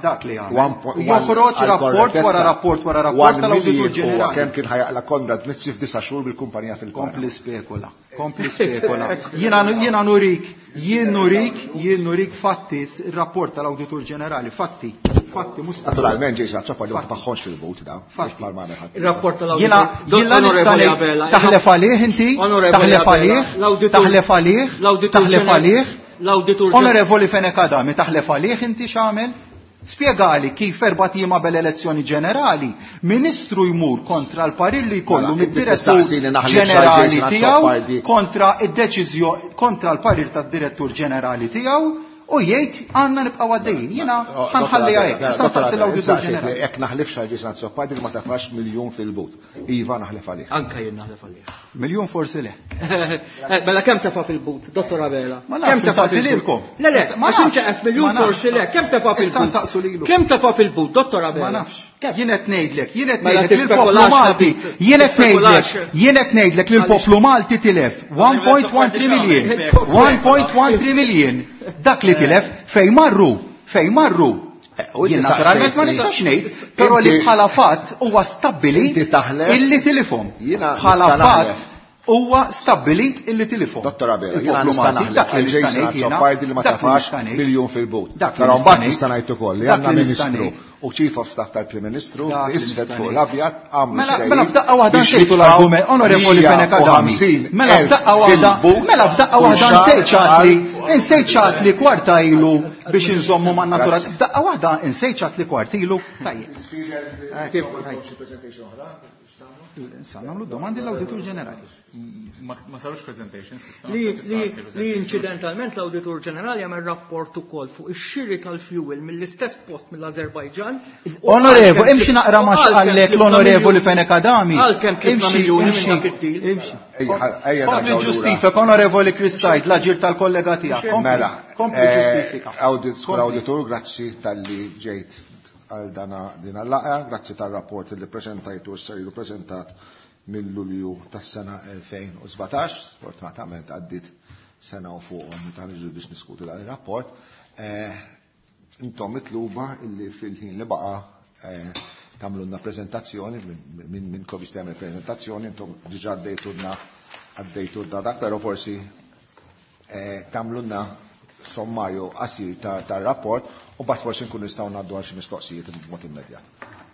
Dak li għamel. One U joħroġ għal rapport korrettezza, wara rapport wara rapport one tal-Awditur million huwa Ġenerali. kemm kien ħa jaqla' Konrad Mizzi f'disa' xhur bil-kumpanija fil-Panama. Kompli spekula, kompli spekula. Jiena nurik, jien nurik, jien nurik fatti, il-rapport tal-Awditur Ġenerali, fatti, fatti, mhux Naturalment Jason Azzopardi ma Fatti. tfaħħonx fil-but da. Fatti. Mhux bħal ma għamel ħadd. Il-rapport tal-Awditur. Jiena jiena nista' Onorevoli ngħid, Abela, taħlef għalih inti, Onorevoli taħlef Abela, għalih, taħlef għalih, taħlef għalih. L-Awditur Onorevoli Fenech Adami, taħlef għalih inti x'għamel? Spjegali kif 4 ijiem qabel elezzjoni ġenerali, ministru jmur kontra l-parir li jkollu Mela, inti mid-direttur tistaqsini naħlef ġenerali Jason tiegħu Azzopardi. kontra id-deċiżjoni kontra l-parir tad-direttur ġenerali tiegħu u jgħid għandna nibqgħu għaddejjin. Jiena ħa nħalliha hekk. Issa nsaqsi l-Awditur Ġenerali. Jekk naħlifx għal Jason Azzopardi li ma tafax miljun fil-but. Iva naħlef għalih. Anka jien naħlef għalih. Miljun forsi le. Mela kemm tefa' fil-but, Dottor Abela? Ma nafx, Kemm tefa' nsaqsi fil-but? lilkom. Le, le, Ma għax nafx. inti qed miljun Ma nafx. forsi le, kemm tefa' Issa fil-but? nsaqsu lilu. Kemm tefa' fil-but, Dottor Abela? Ma nafx. Kemm? Jien qed ngħidlek, jien qed Mela ngħidlek li l-poplu tispekulax, Malti, ħabib. jien qed ngħidlek, Tispekulax. jien qed ngħidlek li l-poplu Malti tilef 1.13 million. 1.13 million. Dak li tilef fejn marru, fejn marru. U inti Jien naturalment ma saqsejtni. nistax ngħid, però li Inti- bħala fatt huwa stabbilit Inti taħlef. illi tilifhom. Jiena Bħala nista' fatt naħlef. huwa stabbilit illi tilifhom. Dottor Abela, jiena Il-poplu nista' Malti, naħlef dak li għal nista' Jason ngħid jiena, Azzopardi li ma dak li tafax nista' ngħid. miljun fil-but. Dak li Però nista' mbagħad ngħid. nista' ngħid ukoll li Dak għandna li nista' Ministru ngħid. u Chief of Staff tal-Prim Ministru Dak li isfed nista' fuq ngħid. l-abjad għamlu Mela, ftehim mela f'daqqa waħda biex nsejt jitfgħu l-argument, onorevoli Fenech Adami. 150 Mela f'daqqa waħda, fil-but mela f'daqqa kull waħda xahar nsejt ċatli, għal- insejt ċatli kwarta ilu biex inżommu man natura. Grazzi. F'daqqa waħda insejt ċatli kwart ilu. Tajjeb. Issa nagħmlu domandi l-Awditur Ġenerali. Ma sarux presentations, issa. Li, issa li, ssir li presentation. incidentalment l-Awditur Ġenerali jagħmel rapport ukoll fuq ix-xiri tal-fuel mill-istess post mill-Azerbajġan. U Onorevoli, għalkemm imxi naqra ma u għalkemm xqallek tlifna l-onorevoli miljuni- Fenech Adami. Għalkemm tlifna Imxi, miljuni minn imxi, dak id-deal. imxi. Ejja, ejja Kompli nerġgħu lura. ġustifika, onorevoli Chris Said, l-aġir tal-kollega tiegħek. Kompli, Mela, kompli ġustifika. Sur Auditur, grazzi tal-li ġejt għal dana din għal-laqgħa, grazzi tal-rapport li prezentajtu u s-sarilu prezentat mill-Lulju tas-sena 2017, sfortunatament għaddit sena u fuqhom meta niġu biex niskutu dan ir-rapport. Intom mitluba illi fil-ħin li baqa' tagħmlulna preżentazzjoni minn kovis tagħmel prezentazzjoni, intom diġà għaddejtulna dak, però forsi tagħmlulna sommarju qasir tar-rapport u mbagħad forsi nkunu nistgħu ngħaddu għal xi mistoqsijiet b'mod immedjat.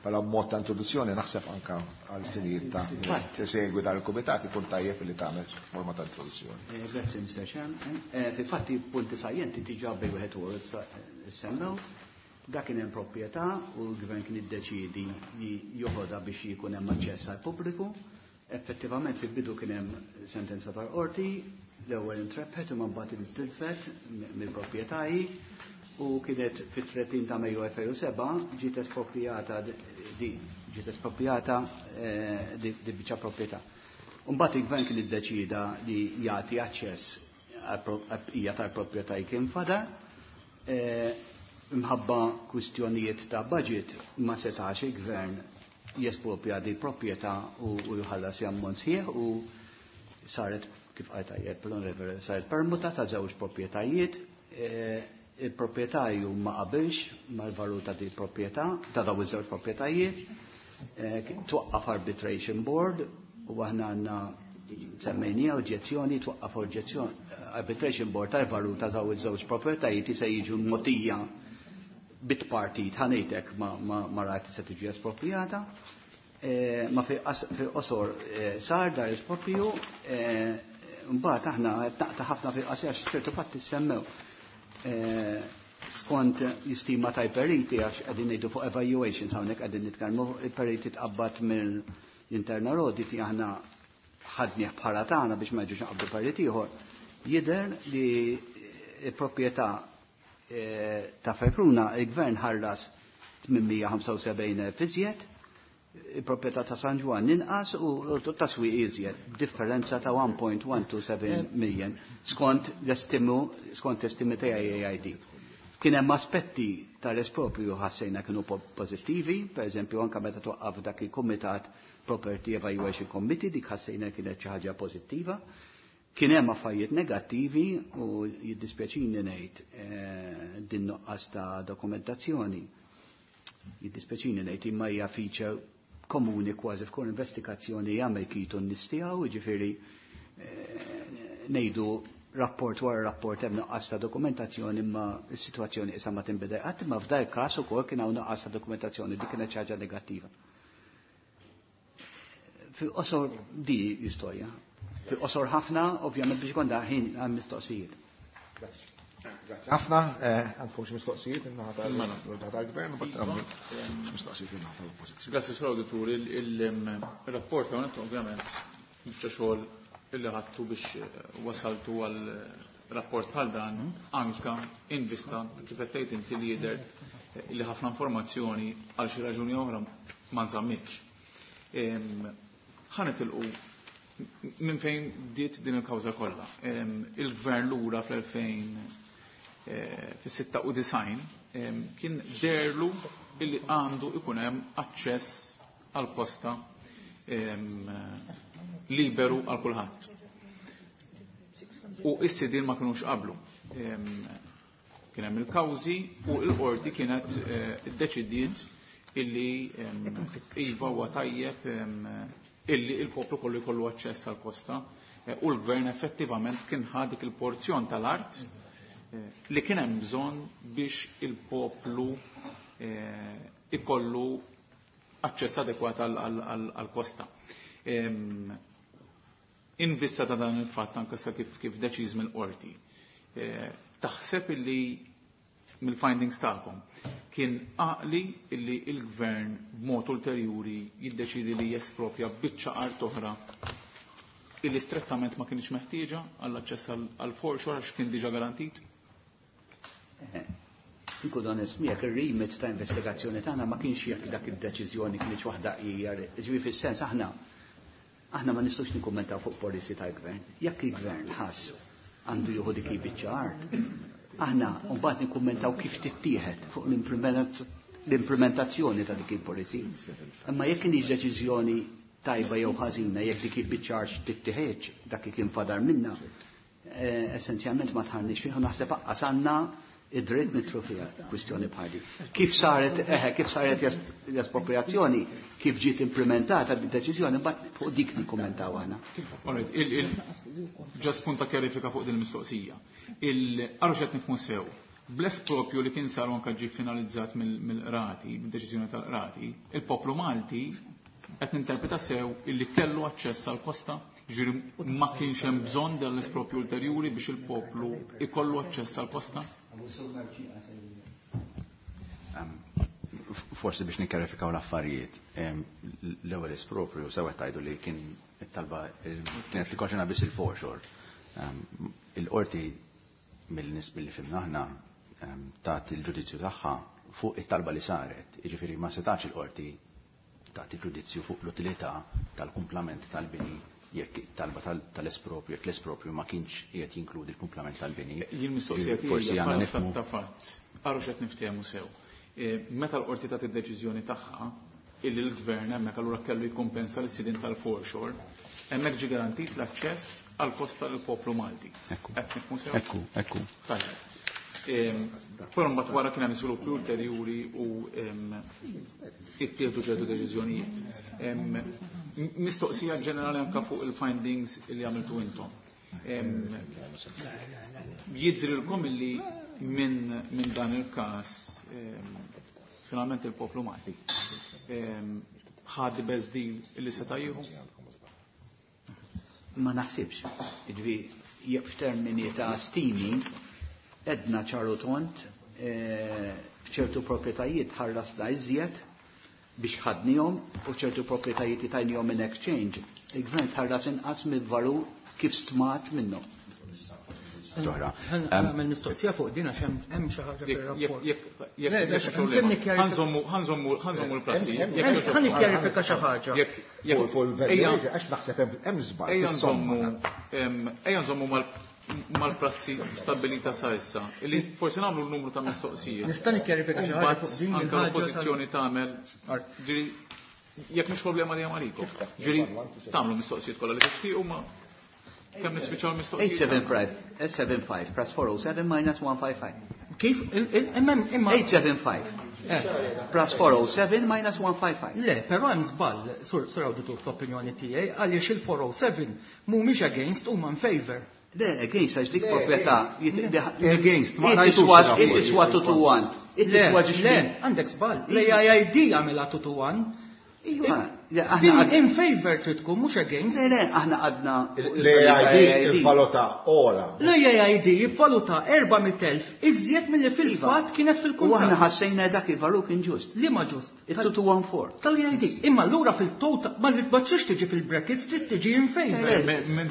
Pala b'mod ta' introduzzjoni naħseb anka għal finijiet ta' segwi dan il-kumitat ikun tajjeb li tagħmel forma ta' introduzzjoni. Grazzi, Mr. Chairman. Fil-fatti punti sajjenti diġà bej wieħed u semmew. Dak kien hemm proprjetà u l-gvern kien iddeċiedi li joħodha biex jkun hemm aċċess għall pubbliku. Effettivament fil-bidu kien hemm sentenza tal-qorti, l-ewwel intrebħet u mbagħad intilfet mill-proprjetarji u kienet fit-30 ta' Mejju 2007 ġiet esproprijata di, ġiet esproprijata di biċċa proprjetà. Mbagħad il-gvern kien iddeċida li jagħti aċċess għall-bqija tal-proprjetà kien fadal. Imħabba kwistjonijiet ta' budget ma setax il-gvern jespropja di proprjetà u jħallas ammont sħiħ u saret, kif qal tajjeb l-onorevole, saret permuta ta' żewġ proprjetajiet. Il-proprjetarju ma qabilx mal-valur ta' di proprjetà, ta' dawn iż-żewġ proprjetajiet. Twaqqaf arbitration board u aħna għandna semmejnija oġġezzjoni, twaqqaf oġġezzjoni arbitration board tal-valur ta' dawn iż-żewġ proprjetajiet se jiġu mogħtija bit-partit ħanejtek ma rajt se tiġi esproprijata. Ma fil-qosor sar dar espropju, mbagħad aħna qed naqta' ħafna fil-qasir għax ċertu fatti semmew. Skont jistima tal-periti għax qegħdin ngħidu fuq evaluations hawnhekk qegħdin nitkellmu, il-periti tqabbad mill-internal audit aħna ħadnieh bħala tagħna biex ma jiġux naqbdu perit ieħor. Jidher li l-proprjetà ta' Fekruna il-gvern ħallas 875 iżjed, il-proprjetà ta' San Ġwann inqas u taswiq iżjed, differenza ta' 1.127 million skont l-estimu, skont l-estimi ta' AID. Kien hemm aspetti tal-espropju ħassejna kienu pożittivi, per eżempju anke meta twaqqaf dak il-Kumitat Property Evaluation Committee, dik ħassejna kienet xi ħaġa pożittiva. Kien hemm affarijiet negattivi u jiddispjaċini ngħid din nuqqas ta' dokumentazzjoni. Jiddispjaċini ngħid imma hija feature komuni kważi f'kull investigazzjoni jagħmel kitu n-nies tiegħu, jiġifieri ngħidu rapport wara rapport hemm nuqqas ta' dokumentazzjoni imma s-sitwazzjoni issa ma tinbidel qatt, imma f'dan il-każ ukoll kien hawn nuqqas ta' dokumentazzjoni, dik kienet xi ħaġa negattiva. Fil-qosor di l-istorja. Fil-qosor ħafna, ovvjament biex ikun ħin għal mistoqsijiet. Grazzi. Ħafna, għandkom xi mistoqsijiet in-naħa tal-gvern, u mbagħad għandkom xi mistoqsijiet in-naħa tal-oppożizzjoni. Grazzi, Sur Auditur. Il-rapport hawnhekk ovvjament biċċa xogħol illi ħadtu biex wasaltu għal rapport bħal dan anka in vista kif qed tgħid inti li jidher li ħafna informazzjoni għal xi raġuni oħra ma nżammitx. Ħa nitilqu minn fejn bdiet din il-kawża kollha. Il-gvern lura fl-2000 fis-96 kien deherlu illi għandu ikun hemm aċċess għall-kosta liberu għal kulħadd. U is-sidien ma kinux qablu. Kien hemm il-kawżi u l-qorti kienet iddeċidiet illi iva huwa tajjeb illi il-poplu kollu jkollu aċċess għall-kosta u l-gvern effettivament kien ħa dik il-porzjon tal-art li kien hemm bżonn biex il-poplu ikollu aċċess adekwat għall-kosta. In vista ta' dan il-fatt anke sa kif deċiż mill-qorti, taħseb illi mill-findings tagħkom kien għaqli illi il-gvern b'mod ulterjuri jiddeċidi li jespropja biċċa art oħra illi strettament ma kienx meħtieġa għall-aċċess għall-foreshore għax kien diġà garantit? Inkun onest miegħek, ir-remit ta' investigazzjoni tagħna ma kienx jekk dak id-deċiżjoni kienx waħda hija, ġifieri fis-sens aħna ma nistgħux nikkummentaw fuq policy tal-gvern. Jekk il-gvern ħass għandu jieħu dik il-biċċa art, aħna mbagħad nikkummentaw kif tittieħed fuq l-implementazzjoni ta' dik il-policy. Imma jekk kienx deċiżjoni tajba jew ħażina, jekk dik il-biċċa art tittieħedx, dak li kien fadar minna, essenzjalment ma tħarniex fih u naħseb aqqas għandna id-dritt nitru fiha kwistjoni bħal dik. Kif saret l-espropriazzjoni, kif ġiet implementata d-deċiżjoni, mbagħad fuq dik nikkummentaw aħna. Ġast punt ta' kjarifika fuq din il-mistoqsija. Għarru x'qed nifhmu sew. Bl-espropju li kien sar anke ġie finalizzat mill-qrati, mid-deċiżjoni tal-qrati, il-poplu Malti qed ninterpreta sew illi kellu aċċess għall-kosta, ġifieri ma kienx hemm bżonn dan l-espropju ulterjuri biex il-poplu ikollu aċċess għall-kosta? Forsi biex nikkarifikaw l-affarijiet, l-ewwel espropju sew qed tgħidu li kien it-talba kienet li konċerna biss il-foreshore. Il-qorti mill-nies billi fimna aħna tat il-ġudizzju tagħha fuq it-talba li saret, jiġifieri ma setax il-qorti tagħti ġudizzju fuq l-utilità tal-kumplament tal-bini jekk it-talba tal-espropju, jekk l-espropju ma kienx qiegħed jinkludi l-kumplament tal-bini. Jien mistoqsija tiegħi Forsi hija għandna bħala nifhmu. stat ta' fatt. Għarru x'qed niftehmu sew. Meta l-qorti tagħti d-deċiżjoni tagħha illi l-gvern hemmhekk allura kellu jikkumpensa lis-sidien tal-foreshore, hemmhekk ġie garantit l-aċċess għall-kosta lill-poplu Malti. Ekku. Qed nifhmu sew? Ekku, ekku. Tajjeb. Però mbagħad wara kien hemm żviluppi ulterjuri u ittieħdu ċertu deċiżjonijiet. Mistoqsija ġenerali anke fuq il-findings li għamiltu intom. Jidrilkom illi minn dan il-każ finalment il-poplu Malti ħad best deal illi seta' jieħu? Ma naħsibx. Ġifieri jekk f'termini ta' stimi edna ċaru tont, f'ċertu proprjetajiet ħarrasna iżjed biex ħadnihom u ċertu proprjetajiet tajnihom in exchange. Il-gvern tħarras inqas mill-valur kif stmat minnhom. Ġohra. Għamel mistoqsija fuq din għax hemm xi ħaġa fir-rapport. Jekk Le, le, jekk problema. kemm nikkjarifika- Ħanżommu l-prassi. Hemm- Jekk hemm- jogħġobkom. Ħa nikkjarifika xi ħaġa. Jekk- jekk- Fuq il-value, għax naħseb hemm żball Ejja fis-somma. nżommu, ejja nżommu mal-prassi stabilita sa issa, illi forsi nagħmlu l-numru ta' mistoqsijiet. Nista' nikkjarifika xi ħaġa Mbagħad fuq din anke il-ħaġa tal- l-oppożizzjoni tagħmel, ġieli, jekk mhix problema li hemm għalikom. Ġieli, tagħmlu mistoqsijiet kollha li tixtiequ ma kemm nispiċċaw mistoqsijiet. 875, 875 plus 407 minus 155. Kif? Imma 875 plus 407 minus 155. Le, però hemm żball, sur awditur fl-opinjoni tiegħi, għaliex il-407 mhumiex against huma in favor. Le, against, għax dik proprjetà. Against, ma It ngħidux iswa, il-rapport. it iswa 2 to 1. It Le, iswa ġiex le, min. għandek żball. L-AIID għamilha 2 to 1. Iva, le, aħna In favor trid tkun, mhux against. Le, le, aħna għadna L-AID ivvaluta ogħla. L-AID jivvaluta 400,000 iżjed milli fil-fatt kienet U aħna fil-kuntratt. ħassejna dak il-valur kien ġust. Liema ġust? Il-2214. Tal-AID. Imma allura fil-total ma tridx tiġi fil-brackets, trid tiġi in favor.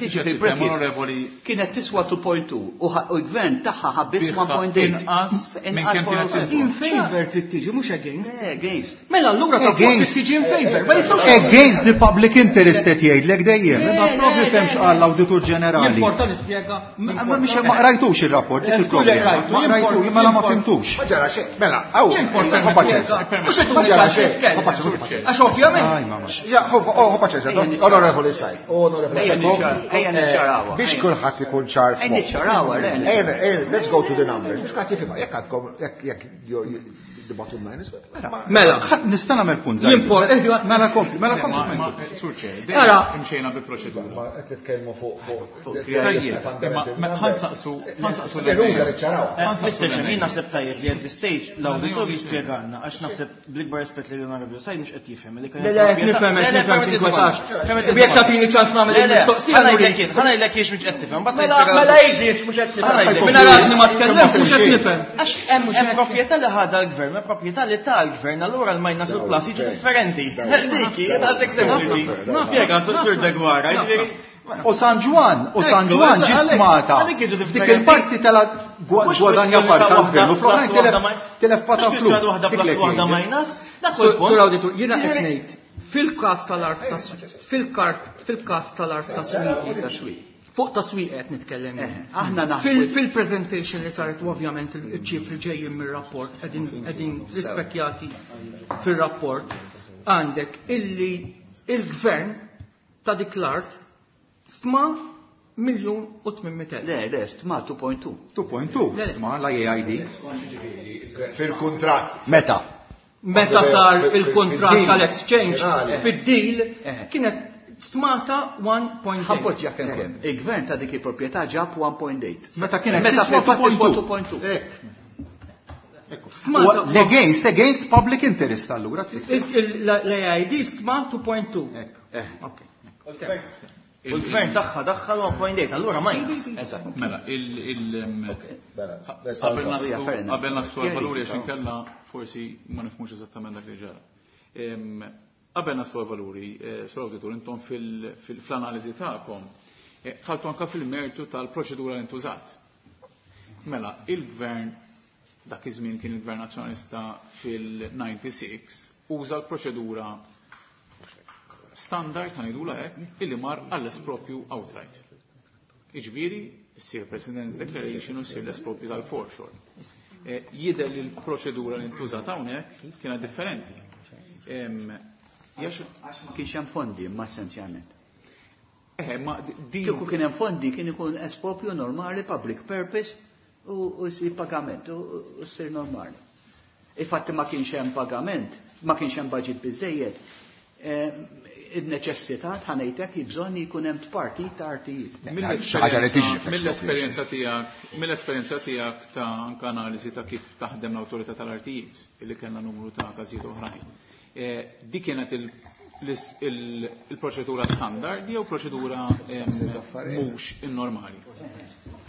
Tiġi fil-brackets. Kienet tiswa 2.2 u l-gvern tagħha ħabbis Biħa 1.8. inqas minn kemm kienet tiswa. In favor trid tiġi, mhux against. Le, against. Mela allura ta' fuq trid tiġi in favor. Ma jistgħux Against the public interest qed jgħidlek dejjem, imma Le, propju le, fehmx le, qal l-Awditur Ġenerali. Jimporta nispjega. Ma mhix ma qrajtux ir-rapport, dik il-problema. Rajtu, Ma qrajtu, imma la ma fimtux. Ma ġara xejn, mela, aw, Jimporta ħu paċenza. Mhux qed Ma ġara xejn, nitkellem. ħu paċenza, ħu paċenza. Għax ovvjament. Aj, mamma. Ja, ħu paċenza, onorevoli Sajt, onorevoli Ejja Sajt. niċċar- ejja niċċarawha. Biex kulħadd ikun ċar Ejja f'moħħu. niċċarawha, le. Ejja, ejja, let's go to the numbers. Biex kulħadd jifhimha, jekk għadkom, jekk the bottom line is Mela, Ħadd nista' nagħmel punt żgħir. Jimport- Mela kompli, mela kompli. Ma, Sur Chair, Ara. dejjem imxejna bi proċedura. Ma qed nitkellmu fuq Tajjeb, imma ħansaqsu ħansaqsu L-eruda niċċaraw. Mr. Chair, naħseb tajjeb li at this stage l-awditur jispjegalna għax naħseb bl-ikbar rispett li l-Onorevoli Said mhux qed jifhem li Le, le, qed nifhem, qed nifhem, tinkwetax. Jekk tagħtini ċans nagħmel il-mistoqsija, Ħa nurik. ngħidlek jien, ħa ngħidlek jien mhux qed tifhem. mbagħad Mela, nispjega mela l-awditur. jgħidli mhux qed Ħa nifhem. ngħidlek. Minn aradni ma tkellemt mhux qed nifhem. Għax hemm proprjetà li ħadha l-gvern, hemm proprjetà li ta l-gvern, allura l-minus u l-plus jiġu differenti. Dik, għadek sempliċi. Spjega, Sur Degwara, jiġifieri. U San Ġwann, u San Ġwann Ekku, ġi smata. għalhekk jiġu Dik differenti. il-parti tela Mhux gwadanja kwestjoni parti ta' tal-gvern u waħda fl-oħrajn plus waħda telef pata mhux flus. kwestjoni waħda Dik plus li waħda jgħid. minus, dak Sur huwa l-punt. Sur Awditur, jiena qed ngħid fil-każ tal-art tas fil-kart fil-każ tal-art taswiq. Fuq taswiq qed nitkellem jien. Aħna naħsbu. Fil-presentation li saret u ovvjament il-ċifri ġejjin mir-rapport qegħdin rispekjati fir-rapport għandek illi il-gvern ta' dik l-art stma 1,800,000. Le, le, stma 2.2. 2.2 stma l-AID. Fil-kuntratt. Meta? Meta sar il-kontrat Fid-deal. tal-exchange Finali. fid-deal kienet stmata 1.8. Ħappoġġja kemm kemm. Il-gvern ta' dik il-proprjetà ġab 1.8. Meta kienet Meta tiswa fil-fatt tiswa 2.2. 2.2. Stmata L-against, against public interest allura tfisser. L-AID stma 2.2. Ekku. Ok. U l-gvern tagħha daħħal 1.8, allura minus. Eżatt. Mela, il- il- Mela, let's qabel start. naslu fair enough. qabel naslu għal-valuri għax inkella forsi ma nifhmux eżattament dak li ġara. Qabel naslu għal-valuri, Sur Awditur, intom fl-analiżi tagħkom dħaltu anke fil-mertu tal-proċedura li ntużat. Mela, il-gvern dak iż-żmien kien il-Gvern Nazzjonalista fil-96 uża l-proċedura standard ħa ngħidulha hekk illi mar għall-espropju outright. Iġifieri, ssir President's Declaration u ssir l-espropju tal-foreshore. Jidher li l-proċedura li ntużat hawnhekk kienet differenti. Għax ma kienx hemm fondi, imma essenzjalment. Ma din Kieku kien hemm fondi kien ikun espropju normali, public purpose u jsir pagament u ssir normali. Infatti ma kienx hemm pagament, ma kienx hemm budget biżejjed. Il-neċessità ħanejtek bżonn jkun hemm parti ta' artijiet. Ħaġa li tiġri fl-expropriation. Mill-esperjenza tiegħek ta' anke analiżi ta' kif taħdem l-awtorità tal-artijiet, illi kellna numru ta' każijiet oħrajn. Dik kienet il-proċedura standard jew proċedura mhux innormali?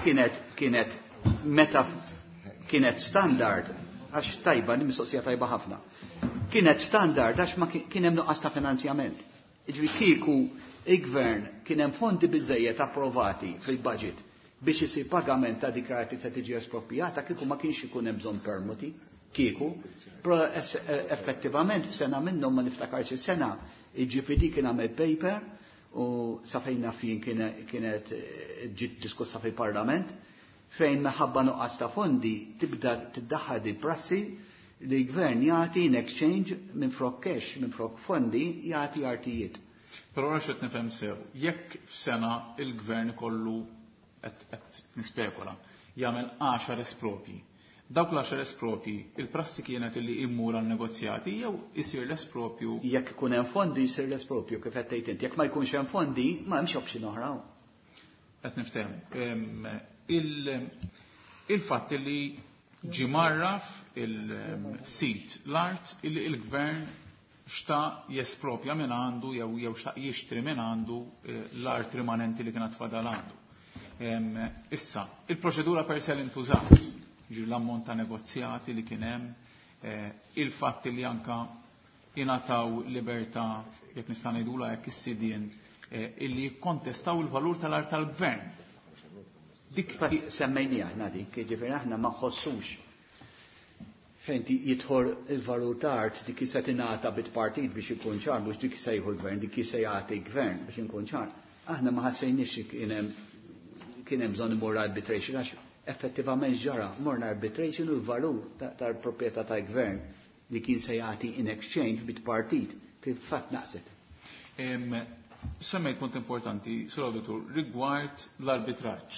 Kienet meta kienet standard, għax tajba, li mistoqsija tajba ħafna. Kienet standard għax ma kien hemm nuqqas ta' finanzjament. Jiġifieri kieku il-gvern kien hemm fondi biżejjed approvati fil-budget biex isir pagament ta' dik li se tiġi esproprijata, kieku ma kienx ikun hemm bżonn permuti, kieku. Però effettivament f'sena minnhom ma niftakarx is-sena, il-GPD kien għamel paper u sa fejn naf jien kienet ġiet diskussa fil-Parlament fejn minħabba nuqqas ta' fondi tibda tiddaħħal di prassi li l-gvern jagħti in exchange minn flok cash, minn flok fondi jagħti artijiet. Però għax qed nifhem sew, jekk f'sena il-gvern ikollu qed nispekola, jagħmel 10 espropji. Dawk l-10 espropji, il-prassi kienet li immur għal negozjati jew isir l-espropju? Jekk ikun hemm fondi jsir l-espropju kif qed tgħid inti, jekk ma jkunx hemm fondi ma hemmx option oħra. Qed niftehmu. Il-fatt li ġi marraf il-sit l-art illi il-gvern xtaq jespropja minn għandu jew xtaq jixtri minn għandu l-art rimanenti li kienet fadal għandu. Issa, il-proċedura per se li ntużat, ġir l-ammont ta' negozjati li kien hemm, il-fatt li anka ingħataw libertà, jekk nista' ngħidula hekk is-sidien, illi jikkontestaw il-valur tal-art tal-gvern. Dik semmejni aħna dik, jiġifieri aħna ma nħossux fejn jidħol il-valur ta' art dik se tingħata bit-partit biex ikun ċar, mhux dik se jieħu l-gvern, dik se jagħti gvern biex inkun ċar. Aħna ma ħassejniex kien hemm bżonn imur arbitration għax effettivament ġara, morna arbitration u l-valur tal-proprjetà tal-gvern li kien se jagħti in exchange bit-partit fil-fatt naqset. Semmejt punt importanti, Sur Auditur, rigward l-arbitraġġ.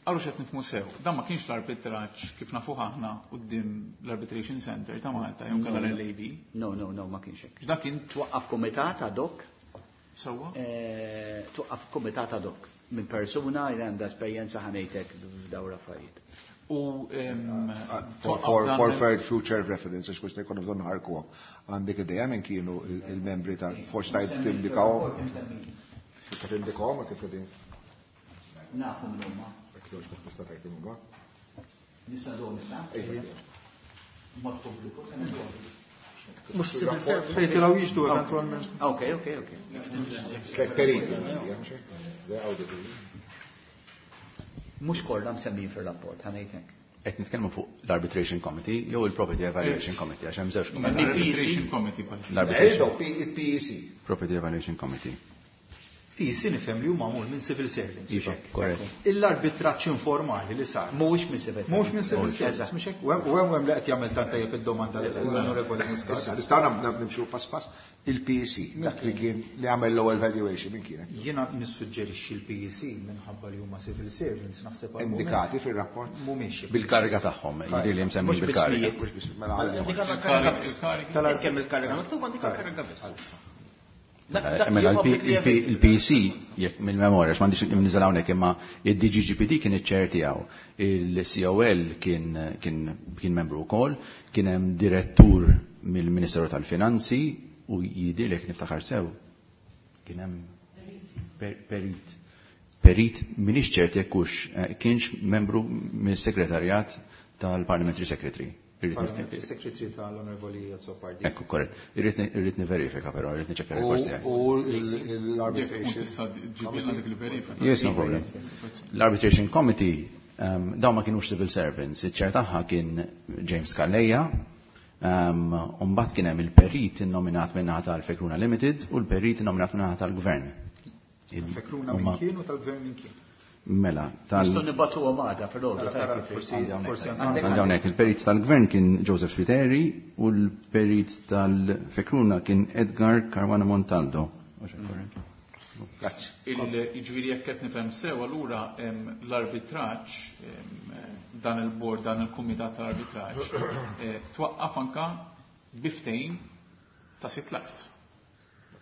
Għallu xed nifmu sew, dan ma kienx l-arbitraġġ kif nafuh aħna quddiem l-Arbitration Center ta' Malta, jew kellha l-LAB. No, no, no, ma kienx hekk. Dak kien twaqqaf kumitat ad hoc. Sewwa? Twaqqaf kumitat ad hoc minn persuna li għandha esperjenza ħanejtek f'dawn l-affarijiet. U For future reference, għax kux jkunu bżonn ħarkuhom. Għandek idea minn kienu il-membri ta' forsi tajt tindikaw. Tista' tindikawhom kif qegħdin? Nafu minn huma. Tista' tgħid minn huma. Nista' nagħmlu nista'? Mod pubbliku se nagħmlu. Mhux civil servants. Fejn tilgħu jiġdu eventwalment. Ok, ok, ok. Tliet periti, Mhux kollha msemmijin fir-rapport, ħanejtek. Qed nitkellmu fuq l-Arbitration Committee jew il-Property Evaluation Committee għax hemm żewġ kumitati. L-Arbitration Committee bħalissa. L-Arbitration. Il-PEC. Property Evaluation Committee. PEC nifhem li huma magħmul minn civil servants. Iva, korrett. L-arbitraġġ informali li sar. Mhuwiex minn civil servants. Mhuwiex minn civil servants, mhux hekk? U hemm li qed jagħmel tant tajjeb id-domanda l-Onorevoli Muscat. Issa, nistgħu nimxu pass pass il-PEC, dak li kien li għamel l-ewwel valuation minn kienet. Jiena nissuġġerixxi l-PEC minħabba li huma civil servants naħseb għal Indikati fir-rapport? Mhumiex. Bil-kariga tagħhom, jiġifieri li msemmi bil-kariga. Mhux biss, mela għalli. Il-kariga. Kemm il-kariga miktub għandek il-kariga biss. Mela il-PC, jekk mill-memorja, x'm'għandix nimniżel hawnhekk, imma il-DGGPD kien iċ-chair tiegħu, il-COL kien membru wkoll, kien hemm direttur mill-Ministeru tal-Finanzi u jidhirlek niftakar sew kien hemm perit. Perit m'iniex ċert jekk hux kienx membru mill-segretarjat tal-Parliamentary Secretary. Parliamentary Secretary tal-Onorevoli Azzopardi. Ekku, korrett. Irrid niverifika però, irrid niċċekkja r-rekords tiegħi. U l-arbitration. Tista' ġibilna dik il-verifika. Yes, no problem. L-Arbitration Committee, dawn ma kienux civil servants, iċ-ċer tagħha kien James Calleja, u mbagħad kien hemm il-perit innominat min-naħa tal-Fekruna Limited u l-perit innominat min-naħa tal-Gvern. Fekruna minn kien u tal-Gvern minn kien. Mela, tal- Nistgħu nibgħatu għamada fil-ħodu, Tara, tajb tara, kif forsi, Għandi hawnhekk, forsi tajb. għandek Għandi hawnhekk, il-perit tal-Gvern kien Joseph Spiteri u l-perit tal-Fekruna kien Edgar Caruana Montaldo. Grazzi. Il-ġviri jekk qed nifhem sew, allura l-arbitraġġ, dan il-bord, dan il-kumitat tal-arbitraġġ, twaqqaf anka biftejn ta' sit l-art.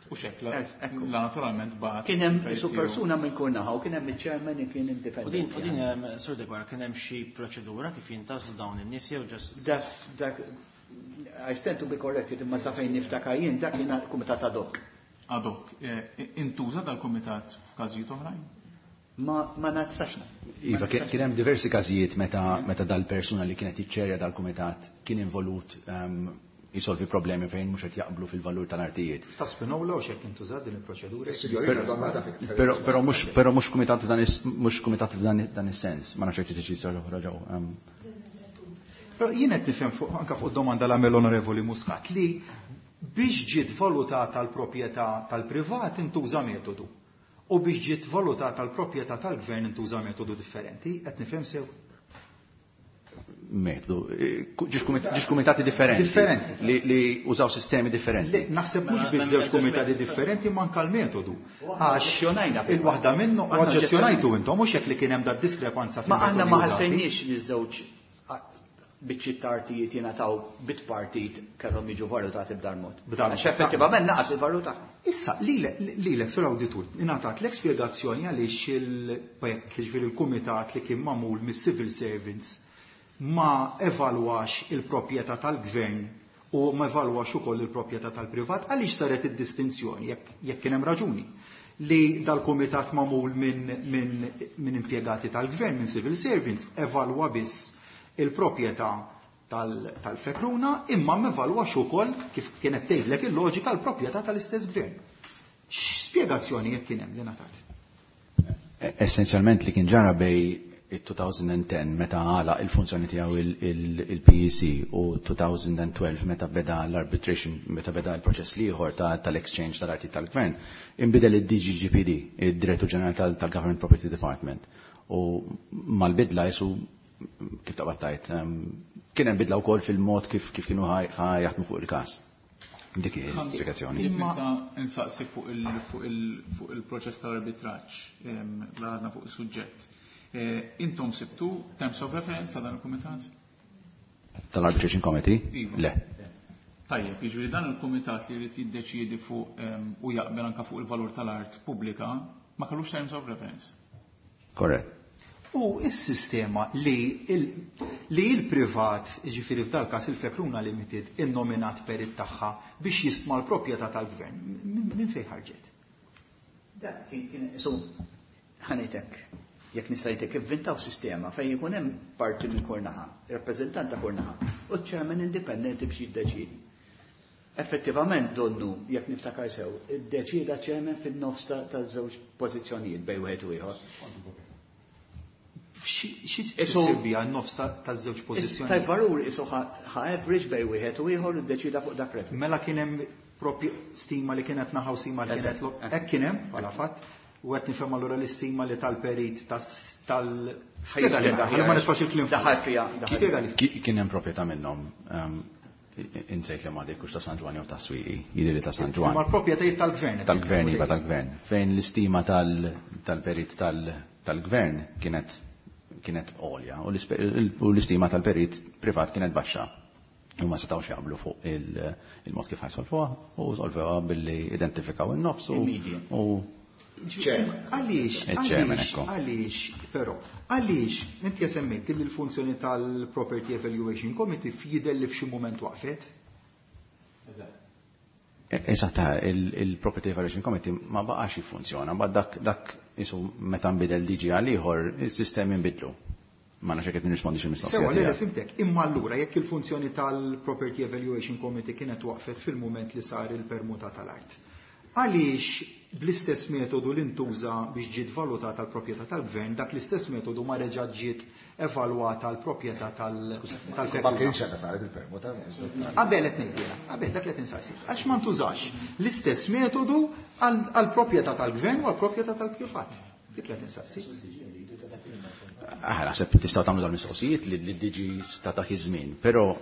U xek, la naturalment bat. Kien hemm perit su tiegħu. persuna minn kull naħa u kien hemm iċ-chairman li kien indipendenti. U din, Sur Degwara, kien hemm xi proċedura kif jintażlu dawn in-nies jew ġast Das, dak, I stand to be corrected, imma sa fejn niftakar jien, dak kien kumitat ad hoc. Ad hoc. Intuża dal-kumitat f'każijiet oħrajn? Ma nafsax. Iva, kien hemm diversi każijiet meta dal-persuna li kienet iċċerja dal-kumitat kien involut jisolvi problemi fejn mhux qed jaqblu fil-valur tal-artijiet. Ta' Spinola u x'hekk intużat din il-proċedura? Is-signorina donna ta' fiktar. Però mhux, però mhux kumitat f'dan is-, mhux kumitat f'dan dan is-sens. Ma nafx jekk tiġi xi oħra ġew. Però jien qed nifhem anke fuq domanda l għamel Onorevoli Muscat li biex ġiet valutata l-proprjetà tal-privat intuża metodu u biex ġiet valutata l-proprjetà tal-gvern intuża metodu differenti, qed nifhem sew. Metodu, ġiex kumitati differenti. Differenti. Li użaw sistemi differenti. Le, naħseb mhux Mela, biss mela, żewġ mela, kumitati mela. differenti manka l-metodu. U aħna Għax oġġezzjonajna fil-fatt. il-waħda minnu Aħna oġġezzjonajtu intom, mhux hekk li kien hemm da diskrepanza Ma aħna ma fil-metodi użati. ħassejniex li żewġ biċċiet ta' artijiet jingħataw bit partit kellhom jiġu valutati b'dar mod. B'dar Għax mod. effettivament naqas il-valur tagħhom. Issa, lilek sur awditur, ingħatat l-spjegazzjoni għaliex il-PEC, jiġifieri il-kumitat li kien magħmul mis-civil servants, ma evalwax il-proprjetà tal-gvern u ma evalwax ukoll il-proprjetà tal-privat, għaliex saret id-distinzjoni jekk kien hemm raġuni li dal-kumitat magħmul minn impjegati tal-gvern, minn civil servants, evalwa biss il-proprjetà tal-Fekruna imma m'evalwax ukoll kif kienet tgħidlek il-loġika l-proprjetà tal-istess gvern. X'spjegazzjoni jekk kien hemm li ngħatat? Essenzjalment li kien ġara bejn il-2010 meta għala il-funzjoni tiegħu il-PEC u 2012 meta beda l-arbitration, meta beda l-proċess l-ieħor tal-exchange tal-arti tal-gvern, inbidel il-DGGPD, il-Direttur Ġenerali tal-Government Property Department. U mal-bidla jisu kif taqbad tajt, kien hemm bidla wkoll fil-mod kif kienu jaħdmu fuq il-każ. Dik hi l-spjegazzjoni. Nista' insaqsik fuq il-proċess tal-arbitraġġ, l-għadna fuq is-suġġett. Intom sibtu terms of reference ta' dan il-kumitat? Tal-Arbitration Committee? Iva. Le. Tajjeb, jiġifieri dan il-kumitat li jrid jiddeċiedi fuq u jaqbel anke fuq il-valur tal-art pubblika ma kellux terms of reference. Korrett. U s-sistema li il-privat, jiġifieri f'dal każ il-Fekruna Limited, innominat perit tagħha biex jistma l-proprjetà tal-gvern, minn fejn ħarġet? Da, kien, so, ħanitek, jekk nista' ngħidlek, ivvintaw sistema fejn ikun hemm parti minn kull naħa, rappreżentant ta' kull naħa, u ċ-chairman indipendenti biex jiddeċiedi. Effettivament donnu, jekk niftakar sew, iddeċieda chairman fin-nofs ta' żewġ pożizzjonijiet bejn wieħed u ieħor. Xi tfisser biha n-nofs ta' żewġ pożizzjonijiet? Tal-valur isu ħa average bejn wieħed u ieħor u ddeċida fuq dak reference. Mela kien hemm propju stima li kienet naħa u stima li kienet hekk kien hemm bħala fatt. U qed nifhem allura l-istima li tal-perit tal Spjega li ħalli ma nitfax il-kliem fuq. Daħal fiha, daħal Spjega li. Kien hemm proprjetà minnhom, insejt li ma dik hux ta' San Ġwann jew ta' Swieqi, jidher li ta' San Ġwann. Imma l-proprjetajiet tal-gvern. Tal-gvern, iva, tal-gvern. Fejn l-istima tal-perit tal-gvern kienet għolja u l-istima tal-perit privat kienet baxxa. U ma setgħux jaqblu fuq il-mod kif ħajsolfuha u solfuha billi identifikaw in-nofs Il-media. u Għaliex, Il-chairman, għaliex, ekku. għaliex, però, għaliex, inti semmejt li l-funzjoni tal-Property Evaluation Committee f'jidher li f'xi moment waqfet? Eżatt, il-Property Evaluation Committee ma baqax jiffunzjona, ma dak isu meta nbidel DG għal ieħor, is-sistemi nbidlu. Ma nafx jekk qed nirrispondi xi mistoqsija Sewa, le, tiegħek. fimtek. Imma allura jekk il-funzjoni tal-Property Evaluation Committee kienet waqfet fil-moment li sar il-permuta tal-art. Għaliex bl-istess metodu li ntuża biex ġiet valutata l-proprjetà tal-gvern, dak l-istess metodu ma reġa' ġiet evalwata l-proprjetà tal-Fekruna. Ma kienx hekk saret il-permuta. Qabel qed ngħid jiena, qabel dak li qed insaqsi. Għax ma ntużax l-istess metodu għall-proprjetà tal-gvern u għall-proprjetà tal-privat. Dik li qed insaqsi. Aħna naħseb tistgħu tagħmlu dawn il-mistoqsijiet li d-DG sta dak iż-żmien, però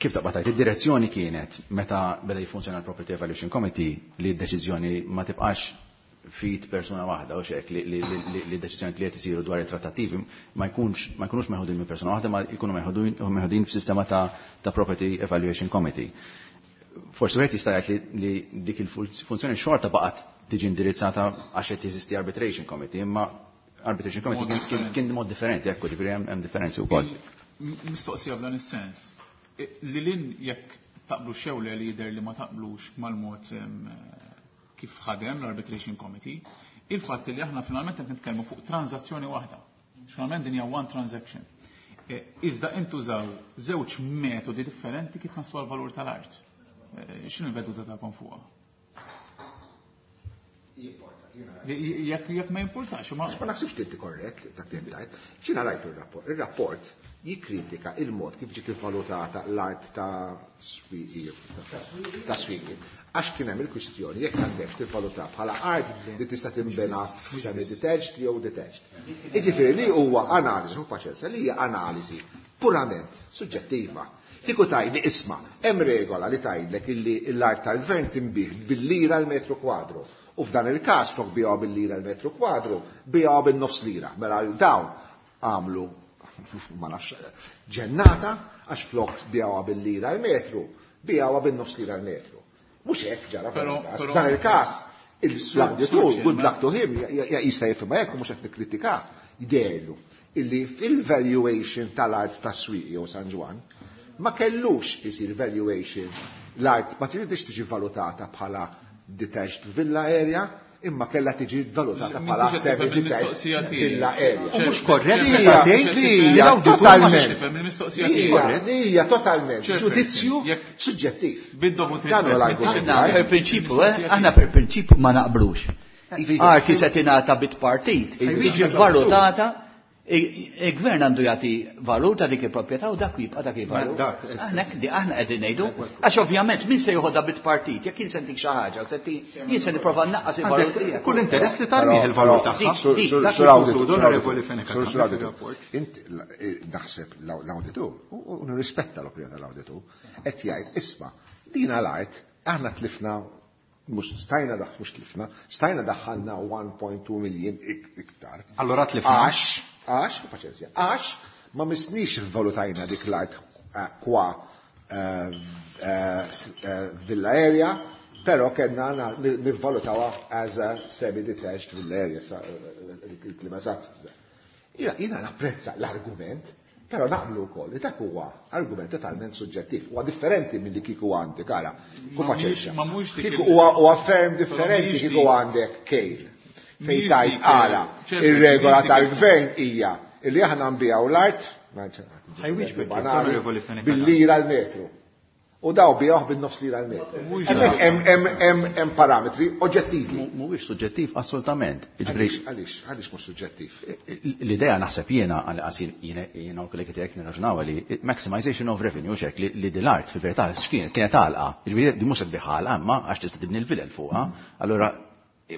kif taqbad tgħid, id-direzzjoni kienet meta beda jiffunzjona l-Property Evaluation Committee li d-deċiżjoni ma tibqax fit persuna waħda u xek li d-deċiżjoni li qed isiru dwar it-trattattivi ma jkunux meħudin minn persuna waħda, ma jkunu meħudin f'sistema ta' Property Evaluation Committee. Forsi wieħed jista' jgħid li dik il-funzjoni xorta baqgħet tiġi indirizzata għax qed jeżisti Arbitration Committee, imma Arbitration Committee Mod differenti. kien mod differenti, ekku, ġifieri hemm differenzi wkoll. Mistoqsija f'dan is-sens. Li lin jekk taqblu xewle li jidher li ma taqblux mal-mod kif ħadem l-Arbitration Committee, il-fatt li aħna finalment qed nitkellmu fuq tranzazzjoni waħda. Finalment din hija one transaction. Iżda intużaw żewġ metodi differenti kif naslu għal-valur tal-art. X'inhu l-veduta tagħkom fuqha? Jekk ma jimpurtax, ma Ma naħsibx li inti korrett dak li tajt. X'inha rajtu r-rapport? Ir-rapport jikkritika il-mod kif ġiet ivvalutata l-art ta' Swieqi, ta' Swieqi. Għax kien hemm il-kwistjoni jekk għandek tivvaluta bħala art li tista' tinbena semi-detached jew detached. Jiġifieri li huwa analiżi, hu paċenza, li hija analiżi purament suġġettiva. Kieku tgħidli isma', hemm regola li tgħidlek illi l-art tal-gvern tinbih bil-lira l-metru kwadru. U f'dan il-każ flok biegħu bil-lira l-metru kwadru, biegħu bin-nofs lira. Mela dawn għamlu ma nafx ġennata għax flok biegħu bil-lira l-metru, biegħu bin-nofs lira l-metru. Mhux hekk ġara f'dan il-każ. F'dan il-każ, l-auditur, good luck to him, jista' jifhimha hekk u mhux qed nikkritika, jderlu illi fil-valuation tal-art ta' Swieqi jew San Ġwann, Ma kellux isir valuation l-art ma tridx tiġi valutata bħala detached villa area, imma kellha tiġi valutata bħala semi-detached villa area. U mhux korrett Li meta hija- tgħid li li hija l-awditur ma totalment. Tifhem il-mistoqsija Li tiegħi. hija- li hija totalment Ċertu, ġudizzju jekk- suġġettiv. Bid-dovut Dan huwa rispett. l-argument. Aħna per prinċipju, aħna per prinċipju ma naqblux. Arti se tingħata bit partit, tiġi valutata, il-gvern għandu jagħti valur ta' dik il-proprjetà u dak jibqa' dak il-valur. Dak, Aħna aħna qegħdin ngħidu, għax ovvjament min se joħodha bit partit, jekk jien se ntik xi ħaġa, jien se nipprova nnaqqas il-valur tiegħek. Kull interess li tarmih il-valur tagħha. Dik, dak Sur li auditur, konkludu sur l-Onorevoli auditur, Fenech sur Attard auditur. fir-rapport. Int naħseb l-auditur, u nirrispetta l-opinjoni tal-auditur, qed jgħid isma' dina l-art aħna tlifna mhux stajna daħ mhux tlifna, stajna daħħalna 1.2 miljun iktar. Allora tlifna. Għax, għax, paċenzja, għax ma misnix valutajna dik l-art kwa villa area, pero kellna nivvalutawha as a semi-detached villa area, il-klima eżatt. Jiena napprezza l-argument, pero naqblu wkoll li dak huwa argument totalment suġġettiv. Huwa differenti minn li kieku għandek, ara, ku Ma paċenzja. mhux- ma mhux dik Kieku il- huwa ferm differenti mhijiex kieku dik- għandek kejl. Fejn Mhijiex tajt dik, ara, ċertu, ir-regola mhijiex dik tal-gvern hija illi aħna nbijaw l-art, Ħajwieġbek, banali, Onorevoli Fenech bil-lira l-metru. U daw bijawh bin-nofs lira l-metru. Mhux Hemmhekk dak. hemm parametri oġġettivi. Mhuwiex suġġettiv assolutament. Jiġifieri, Għaliex, għaliex mhux suġġettiv? L-idea naħseb jiena għal qasil jiena u kollegi tiegħek nirraġunaw li maximization of revenue xek li dil-art fil-verità x'kienet kienet għalqa. Jiġifieri di mhux se tbigħha għalqa imma għax tista' tibni l-vilel fuqha. Allura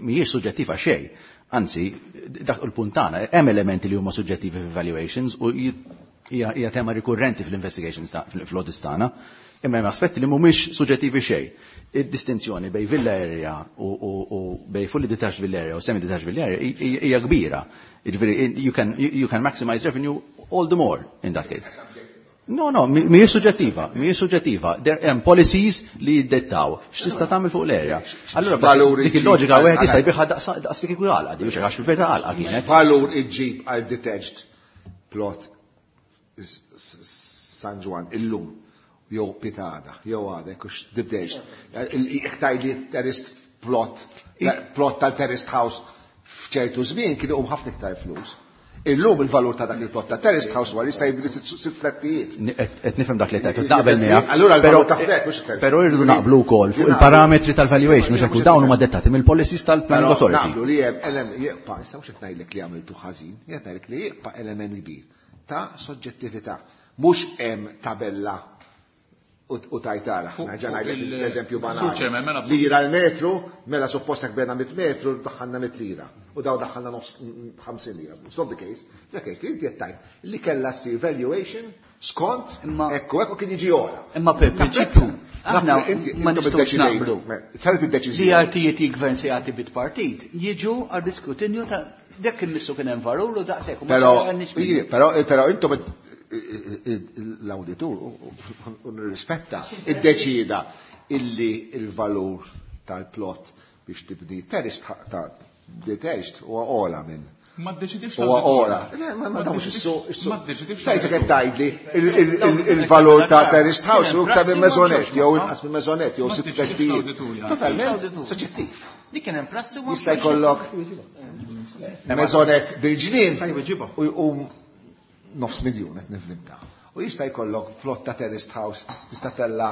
mhijiex suġġettiva xejn. Anzi, dak il-punt tagħna hemm elementi li huma suġġettivi f'evaluations u hija tema rikurrenti fl-investigations fl-audits tagħna. Imma hemm aspetti li mhumiex suġġettivi xejn. Id-distinzjoni bejn villa area u bejn fully detached villa area u semi detached villa area hija kbira. Jiġifieri you can maximize revenue all the more in that case. No, no, mhijiex suġġettiva, mhijiex suġġettiva. There hemm policies li jiddettaw x'tista' tagħmel fuq l-area. Allura Valur dik iġġib il-loġika għal- wieħed jista' għal- jbigħha daqs li kieku għalqa, di għax fil-verità għalqa kienet. Valur iġġib għal detached plot San Ġwann illum jew pitada, jew għadek, ux detached. Jekk tgħidli terraced plot, plot tal-terraced house f'ċertu żmien kien iqum ħafna iktar flus. Illum il-valur ta' dak il-plot ta' terraced house huwa jista' jibni sitt flettijiet. Qed nifhem dak li qed naqbel miegħek. Allura l-valur ta' flet mhux terraced. Però irridu naqblu wkoll fuq il-parametri tal-valuation, mhux hekk dawn huma dettati mill-policies tal-Planning Però Authority. naqblu li hemm element jibqa' issa mhux qed ngħidlek li għamiltu ħażin, qed ngħidlek li jibqa' element kbir ta' soġġettività. Mhux hemm tabella u tajtara. Fuq- Nerġa' fuq ngħidlek l-eżempju Sur banali. Chairman, mela fuq- Lira l-metru, mela suppost jekk bena 100 metru, daħħalna 100 lira. U daw daħħalna nofs 50 lira. It's not the case. The case li inti qed tgħid li kellha ssir valuation skont Imma- ekku ekku kien jiġi ora. Imma per prinċipju, aħna ma intom nistgħux iddeċidejtu. naqblu. Saret Li id-deċiżjoni. artijiet il-gvern se jagħti bit partit, jiġu għal diskrutinju ta' dak immissu kien hemm valur u daqshekk. u ma Però, għandniex minnu. però intom l-auditur u nirrispetta iddeċida illi il-valur tal-plot biex tibni terraced ta' detached huwa ola minn Ma ddeċidix huwa l-awditur. ola. Le, Ma dawx issu. Ma ddeċidix Tajsa l-awditur. qed tgħidli il-valur ta' terraced house u iktar minn maisonette jew inqas minn maisonette jew Ma sitt ddeċidix flettijiet. l-awditur, ja. Totalment soġġettiv. Dik kien hemm prassi u Jista' jkollok maisonette bil-ġnien u jqum nofs miljun qed nivvinta. U jista' jkollok flotta terraced house tista' tella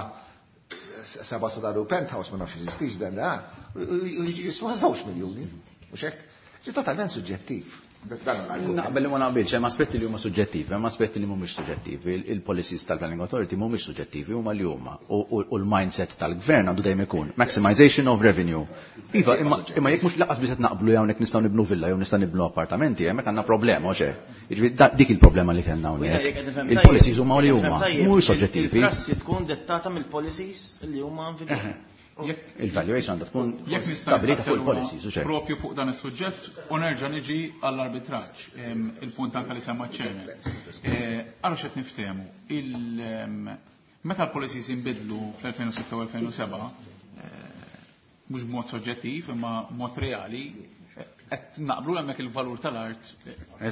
seba' sadaru penthouse ma nafx jeżistix dan da, u jiġi jiswa żewġ miljuni. Mhux hekk? Ġi totalment suġġettiv. Dan l-argument. Naqbel li ma naqbilx, hemm aspetti li huma suġġettivi, hemm aspetti li mhumiex suġġettivi. Il-policies tal-Planning Authority mhumiex suġġettivi, huma li huma. U l-mindset tal-gvern għandu dejjem ikun maximization of revenue. Iva, imma jekk mhux laqas biss qed naqblu hawnhekk nistgħu nibnu villa jew nistgħu nibnu appartamenti, hemmhekk għandna problema, u xejn. Jiġifieri dik il-problema li kellna hawnhekk. Il-policies huma li huma, mhux soġġettivi. Il-prassi tkun dettata mill-policies li huma in vigor. Il-valuation għandha tkun Jekk nista' stabilita fuq nistaqsi il-policies, u xejn. propju fuq dan is-suġġett u nerġa' niġi għall-arbitraġġ, il-punt anke li semma ċ-chairman. Ara x'qed niftehmu. Meta l-policies inbidlu fl-2006 u 2007, mhux b'mod soġġettiv imma mod reali, qed naqblu hemmhekk il-valur tal-art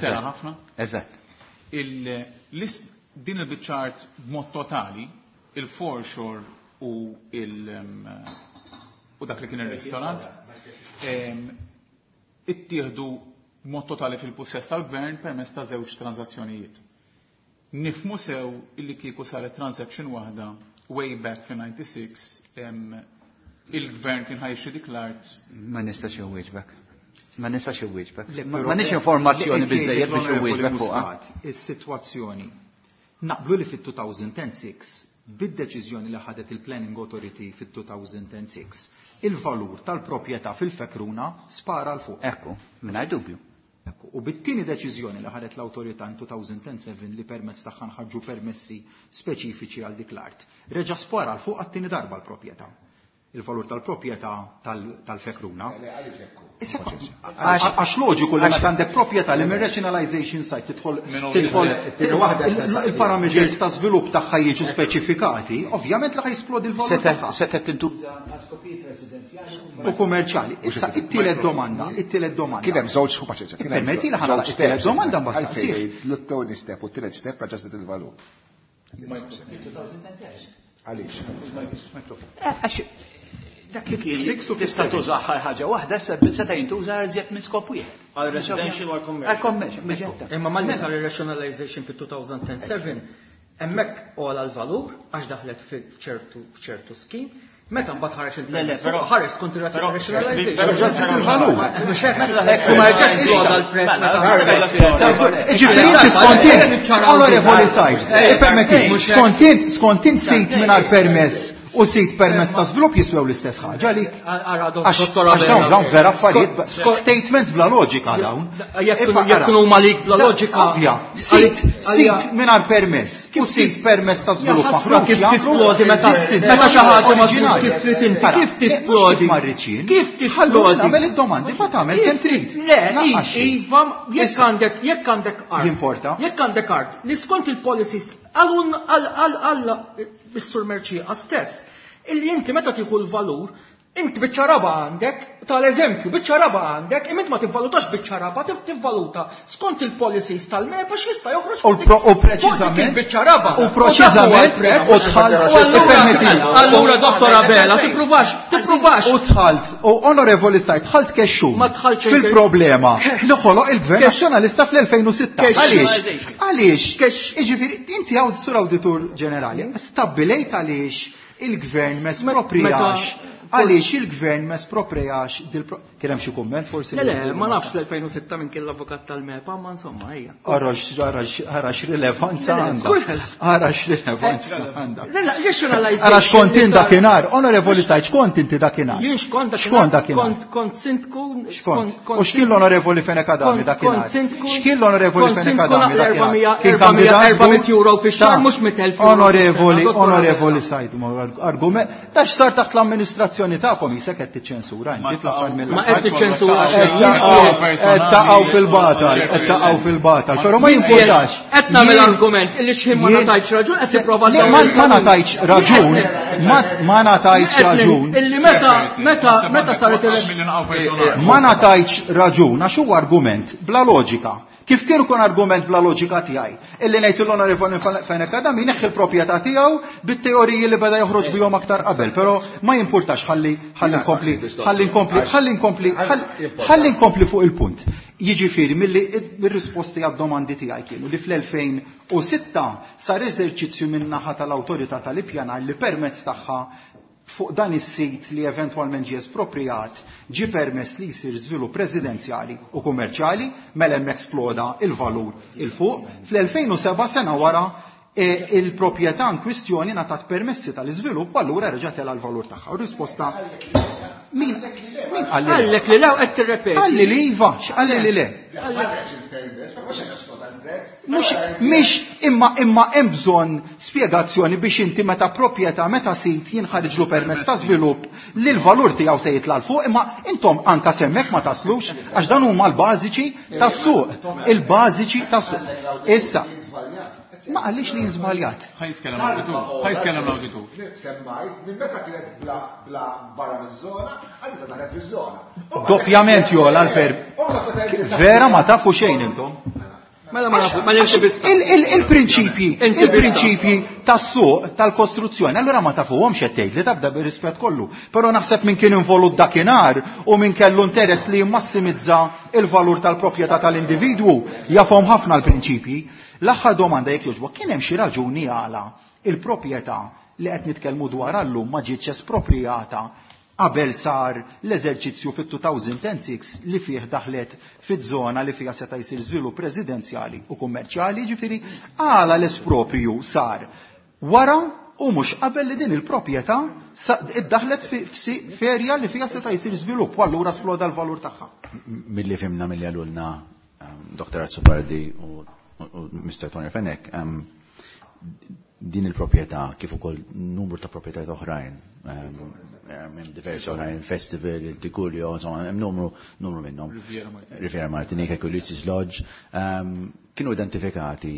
tela ħafna. Eżatt. Din il-biċċa art b'mod totali, il-foreshore u il u dak li kien ir-ristorant, ittieħdu b'mod totali fil-pussess tal-gvern permezz ta' żewġ transazzjonijiet. Nifhmu sew illi kieku saret transaction waħda way back fil-96 il-gvern kien ħa jixtri dik l-art. Ma nistax inwieġbek. Ma nistax inwieġbek. M'għandniex informazzjoni biżejjed biex inwieġbek fuqha. Is-sitwazzjoni. Naqblu li fit-2006 bid-deċiżjoni li ħadet il-Planning Authority fit-2006, il-valur tal-proprjetà fil-Fekruna spara 'l fuq. Ekku, mingħajr dubju. Ekku, u bit-tieni deċiżjoni li ħadet l-awtorità in 2007 li permezz tagħha nħarġu permessi speċifiċi għal dik l-art, reġa' spara 'l fuq għat-tieni darba l-proprjetà. Il-valur tal-proprjetà tal-Fekruna. Għax loġiku li meta għandek proprjetà li minn rationalization site tidħol tidħol il-parameters ta' żvilupp tagħha jiġu speċifikati, ovvjament li ħa jisplodi l-valur tagħha. Setgħet tintuża għal skopijiet residenzjali u kummerċjali. Issa it-tielet domanda, it-tielet domanda. Kien hemm żewġ paċenzja. Kien hemm Permetti li ħa nagħlaq it-tielet domanda mbagħad Għalfejn l-tieni step u t-tielet step raġa' il-valur. Għaliex? Għax dak li kien tista' tuża ħaġa waħda seta' jintuża iżjed minn skop wieħed. Għal residential u għal commercial. Għal commercial. Imma malli sar ir-rationalization fit-2007, hemmhekk għola l-valur għax daħlet f'ċertu f'ċertu scheme. Meta mbagħad ħareġ il-permess, però ħareġ skont ir-rationalization. Il-valur. Mhux hekk, ma jerġax jgħoda l-prezz meta Ġifieri inti skont int, onorevoli Said, permetti, skont int, skont int sit mingħajr permess u sit permess ta' żvilupp jiswew l-istess ħaġa għalik. Għax Għax dawn dawn vera affarijiet, statements bla loġika dawn. Jekk huma lik bla loġika. Ovvja, sit sit mingħajr permess u sit permess ta' żvilupp Ħasra maħruġ kif jagħmlu tisplodi meta meta xi ħaġa ma tkunx oriġinali. kif trid inti, Ara, kif tisplodi? mhux marriċin. Kif Ħallu tisplodi? nagħmel id-domandi, ma tagħmel kemm trid. Le, Lanqas xejn. iva, jekk għandek jekk għandek art. Jimporta. Jekk għandek art li skont il-policies għal għal għal is-Sur Mercieca stess, illi inti meta tieħu l-valur, inti biċċa raba għandek, tal-eżempju, biċċa raba għandek, imma inti ma tivvalutax biċċa raba, tivvaluta skont il-policies tal-MEPA x'jista' joħroġ U fuq dik- pro- u fuq dik preċiżament- il-biċċa raba. u preċiżament- U dak huwa l-prezz. u dħalt- U allura- permetti. Allura, Dottor Abela, tippruvax, tippruvax. U dħalt, u onorevoli Said, dħalt kexxun Ma dħaltx fil-problema li ħoloq il-Gvern Nazzjonalista fl-2006. Kex- Għaliex? Għaliex? Kex- Iġifieri, inti għaw sur awditur ġenerali, stabbilejt għaliex il-Gvern m'espropriax. Għaliex il-Gvern m'espropriax dil Kien hemm xi kumment forsi? Le, le, ma nafx fl-2006 minn kien l-avukat tal-MEPA, ma insomma, ejja. Arax, arax, arax rilevanza Le, le, għandha. żgur. Arax rilevanza għandha. Rationalization. Ara xkont int dakinhar, onorevoli Said, xkont inti dakinhar? Jien xkont Xkont dakinhar? Kont kont sindku. Xkont. U x'kien l-onorevoli Fenech Adami dakinhar? Kont sindku. X'kien l-onorevoli kont Fenech sindku Adami naqla dakinhar? Kien 400 kandidat 400 żgur? euro fix-xahar, Ta' mhux 100,000 euro Onorevoli, fis-sena, dottor onorevoli Abela. Said, argument, ta' x'sar taħt l-amministrazzjoni tagħkom jisek qed tiċċensura inti fl-aħħar mill Ma qed tiċċensura xejn. Qed taqgħu fil-batal, qed taqgħu fil-batal, però ma jimpurtax. Qed nagħmel Jien- argument illi x'ħin ma jien- ngħatajtx raġun qed tipprova Le, ma ma ngħatajtx raġun, ma ngħatajtx raġun. Illi meta meta meta saret il- Ma ngħatajtx raġun għax huwa argument bla loġika. Kif kien ikun argument bla loġika tiegħi? Illi ngħid l-onorevoli Fenech Adami neħħi l-proprjetà tiegħu bit-teoriji li beda joħroġ bihom aktar qabel, però ma jimpurtax ħalli ħalli nkompli ħalli nkompli ħalli nkompli ħalli nkompli fuq il-punt. Jiġifieri milli mir-risposti għad-domandi tiegħi kienu li fl-2006 sar eżerċizzju min-naħa tal-awtorità tal-ippjanar li permezz tagħha fuq dan is-sit li eventwalment ġie espropriat ġie permess li jsir żvilupp residenzjali u kummerċjali mela hemm eksploda il-valur il fuq. Fl-2007 sena wara il-proprjetà in kwistjoni ngħatat permessi tal-iżvilupp u allura reġa' tela l-valur tagħha. U risposta min min qalli le? Qallek li lew qed tirrepeti. Qalli li iva, x'qalli li le? Mux, mhix imma imma hemm bżonn spjegazzjoni biex inti meta proprjetà meta sit jinħarġlu permess ta' żvilupp li l-valur tiegħu se jitla' 'l fuq, imma intom anka semmek ma taslux għax dan huma l-bażiċi tas-suq, il-bażiċi tas-suq. Issa, ma qalix li żbaljat. Ħa jitkellem l-awditur, ħa jitkellem l-awditur. Semmajt, minn meta kienet bla bla barra miż-żona, għal meta daħlet fiż-żona. Doppjament jola l-per. Vera ma tafu xejn intom. Mela ma nafu, ma Il-prinċipji, il-prinċipji tas-suq tal-kostruzzjoni, allura ma tafuhomx qed tgħid li tabda bir-rispett kollu. Però naħseb min kien involut dakinhar u min kellu interess li jimmassimizza il-valur tal-proprjetà tal-individwu jafhom ħafna l-prinċipji. L-aħħar domanda jekk jogħġbok, kien hemm xi raġuni għala il-proprjetà li qed nitkellmu dwar llum ma ġietx esproprijata qabel sar l-eżerċizzju fit-2006 li fih daħlet fiż-żona li fiha seta' jsir żvilupp residenzjali u kummerċjali, ġifieri għala l-espropriju sar wara u mhux qabel li din il-proprjetà iddaħlet f'erja li fiha seta' jsir żvilupp u allura sploda l-valur tagħha. Milli fhimna milli qalulna Dr. Azzopardi u Mr. Tony Fenech, din il-proprjetà kif ukoll numru ta' proprjetajiet oħrajn, hemm diversi oħrajn, il-Festival, il-Tigullio, insomma, hemm numru minnhom. Riviera Martinique. Riviera Martinique, Ulysses Lodge, kienu identifikati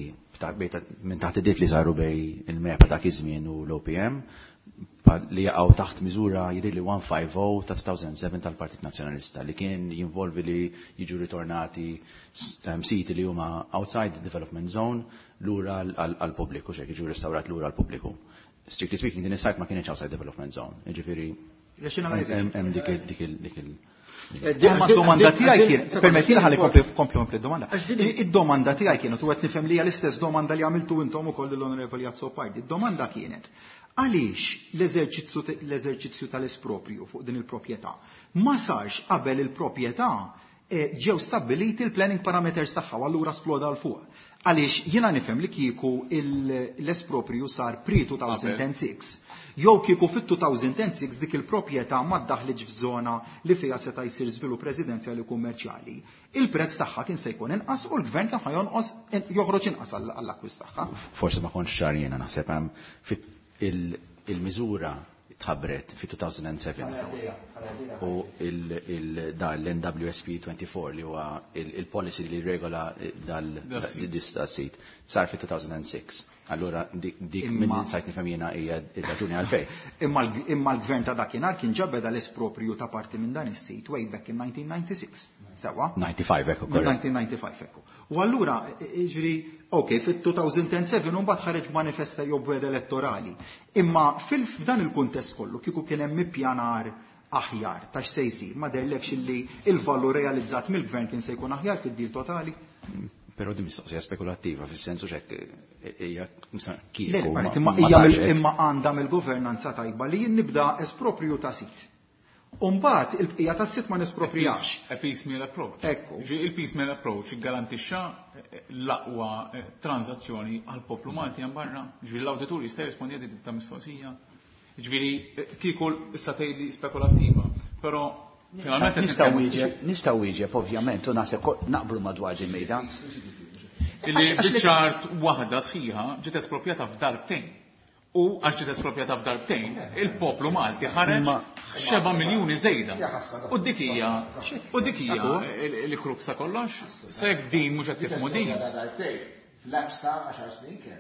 minn taħt id li saru bejn il-MEPA dak iż-żmien u l-OPM li jaqgħu taħt miżura jidher li 150 ta' 2007 tal-Partit Nazzjonalista li kien jinvolvi li jiġu ritornati siti li huma outside the development zone lura għal-pubbliku, xek jiġu restawrat lura għal-pubbliku. Strictly speaking, din is-site ma kienx outside development zone. Jiġifieri hemm dik il Imma d-domanda tiegħi kien, permetti ħalli kompli d-domanda. Id-domanda tiegħi kienet, u qed nifhem li hija l-istess domanda li għamiltu intom ukoll lill-Onorevoli Azzopardi. Id-domanda kienet, għaliex l-eżerċizzju tal-espropriju fuq din il-proprjetà ma sarx qabel il-proprjetà ġew stabbiliti l-planning parameters tagħha u allura sploda l fuq. Għaliex jiena nifhem li kieku l-espropriju sar pre-2006, jew kieku fit-2006 dik il-proprjetà ma ddaħlitx f'żona li fiha seta' jsir żvilupp residenzjali u kummerċjali. Il-prezz tagħha kien se jkun inqas u l-gvern kien ħajonqos joħroġ inqas għall-akkwist tagħha. Forsi ma kontx ċar jiena naħseb hemm il-miżura tħabbret fi 2007 u da l-NWSP 24 li huwa il-policy li regola dal-sit sar fi 2006. Allura dik minn sajt nifhem jiena hija r-raġuni għalfejn. Imma l-gvern ta' dakinhar kien ġabeda l-espropriju ta' parti minn dan is-sit way back in 1996. Sewa? 95 ekku. 1995 ekku. U allura, ġifieri, ok, fit-2007 mbagħad ħareġ manifesta jew bwed elettorali. Imma f'dan il-kuntest kollu kieku kien hemm ippjanar aħjar ta' x'se jsir, ma derlekx illi il-valur realizzat mill-gvern kien se jkun aħjar fid-dil totali? Però din mistoqsija spekulattiva fis-sensu x'hekk hija kieku. Imma għandha mill-governanza tajba li jien nibda espropriju ta' sit. Umbagħad il-bqija tas-sit ma nesproprijax. A piecemeal approach. Ekku. Il-piecemeal approach garantixxa l-aqwa transazzjoni għall-poplu Malti hemm barra. Ġifieri l-awditur jista' jirrispondi għal ta' mistoqsija. Ġifieri kieku issa tgħidli spekulattiva, però finalment Nistgħu wieġeb ovvjament u naħseb naqblu madwar din mejda. Illi biċ-ċart waħda sħiħa ġiet espropjata f'darbtejn. U għax ġiet espropjata f'darbtejn, il-poplu Malti ħareġ 7 miljuni żejda. U dik hija l-krux ta' kollox, se jekk din mhux qed tifhmu din. Fl-apps ta' 10 snin kien.